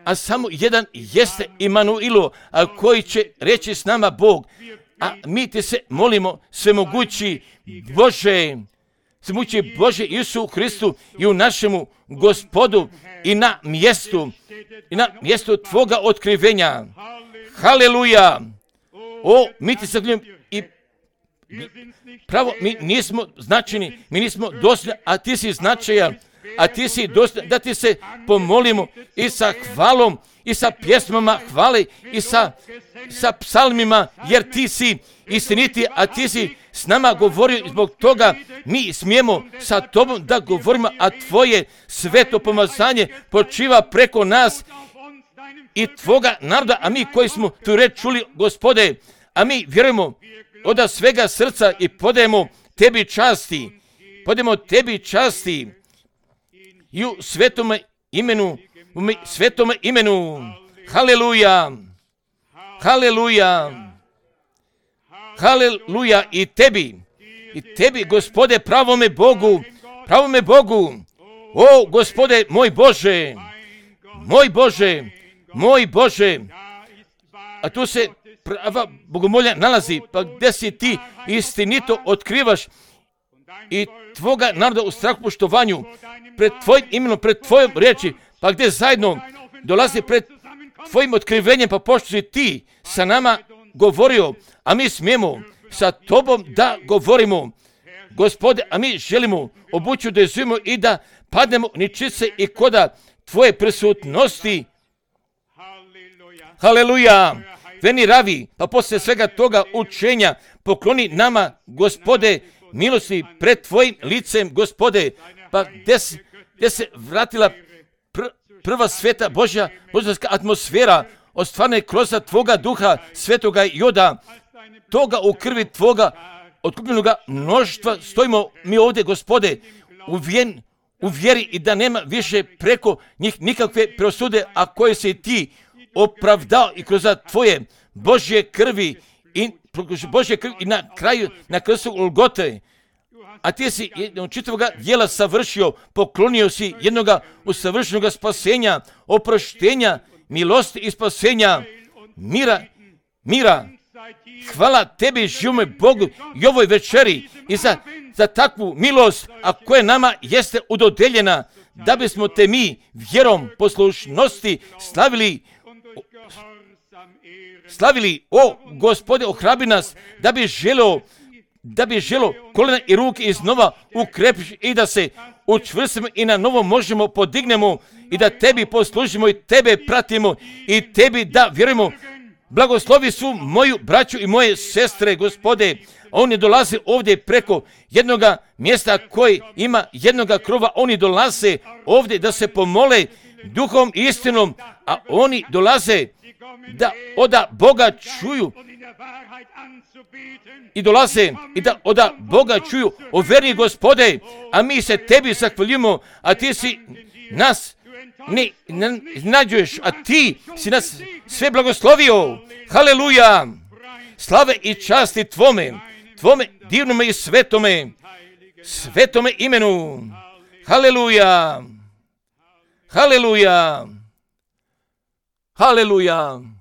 a samo jedan jeste Imanuilo, a koji će reći s nama Bog, a mi te se molimo, svemogući Bože, svemogući Bože Isu Hristu i u našemu Gospodu i na mjestu, i na mjestu Tvoga otkrivenja. Haleluja! O, mi ti se gledam i pravo, mi nismo značajni, mi nismo dosljedni, a ti si značajan, a ti si dosljedni, da ti se pomolimo i sa hvalom, i sa pjesmama hvale, i sa, sa psalmima, jer ti si istiniti, a ti si s nama govorio i zbog toga mi smijemo sa tobom da govorimo, a tvoje sveto pomazanje počiva preko nas i tvoga naroda, a mi koji smo tu reč čuli, Gospode, a mi vjerujemo od svega srca i podajemo tebi časti, podajemo tebi časti i u svetome imenu, u svetome imenu. Haleluja! Haleluja! Haleluja i tebi, i tebi, Gospode, pravome Bogu, pravome Bogu, o, Gospode, moj Bože, moj Bože, moj Bože, a tu se prava bogomolja nalazi, pa gdje si ti istinito otkrivaš i tvoga naroda u strahu poštovanju, pred tvojim imenom, pred tvojom riječi, pa gdje zajedno dolazi pred tvojim otkrivenjem, pa pošto si ti sa nama govorio, a mi smijemo sa tobom da govorimo, Gospode, a mi želimo obuću da izujemo i da padnemo ničice i koda tvoje prisutnosti. Haleluja! Veni ravi, pa poslije svega toga učenja pokloni nama, Gospode, milosti pred tvojim licem, Gospode, pa gdje, gdje se vratila pr, prva sveta Božja, božanska atmosfera, ostvarne kroz tvoga duha, svetoga joda, toga u krvi tvoga, otkupljenoga mnoštva, stojimo mi ovdje, Gospode, u, vjen, u vjeri i da nema više preko njih nikakve presude, a koje se ti opravdao i kroz tvoje Božje krvi i Božje krvi i na kraju, na krstu Golgote, a ti si jednog čitavoga djela savršio, poklonio si jednoga usavršenoga spasenja, oproštenja, milosti i spasenja, mira, mira Hvala tebi, živome Bogu, i ovoj večeri i za, za takvu milost, a koja nama jeste udodeljena, da bismo te mi vjerom poslušnosti slavili, slavili, o Gospode, ohrabri nas, da bi želio, da bi želio kolena i ruke iznova ukrepiš i da se učvrstimo i na novo možemo podignemo i da tebi poslužimo i tebe pratimo i tebi da vjerujemo. Blagoslovi su moju braću i moje sestre, Gospode. Oni dolaze ovdje preko jednoga mjesta koji ima jednoga krova. Oni dolaze ovdje da se pomole duhom i istinom, a oni dolaze da oda Boga čuju i dolaze i da oda Boga čuju o veri, Gospode, a mi se tebi zahvaljujemo, a ti si nas ne nađuješ, a ti si nas sve blagoslovio. Haleluja! Slave i časti tvome, tvome divnome i svetome, svetome imenu. Haleluja! Haleluja! Haleluja!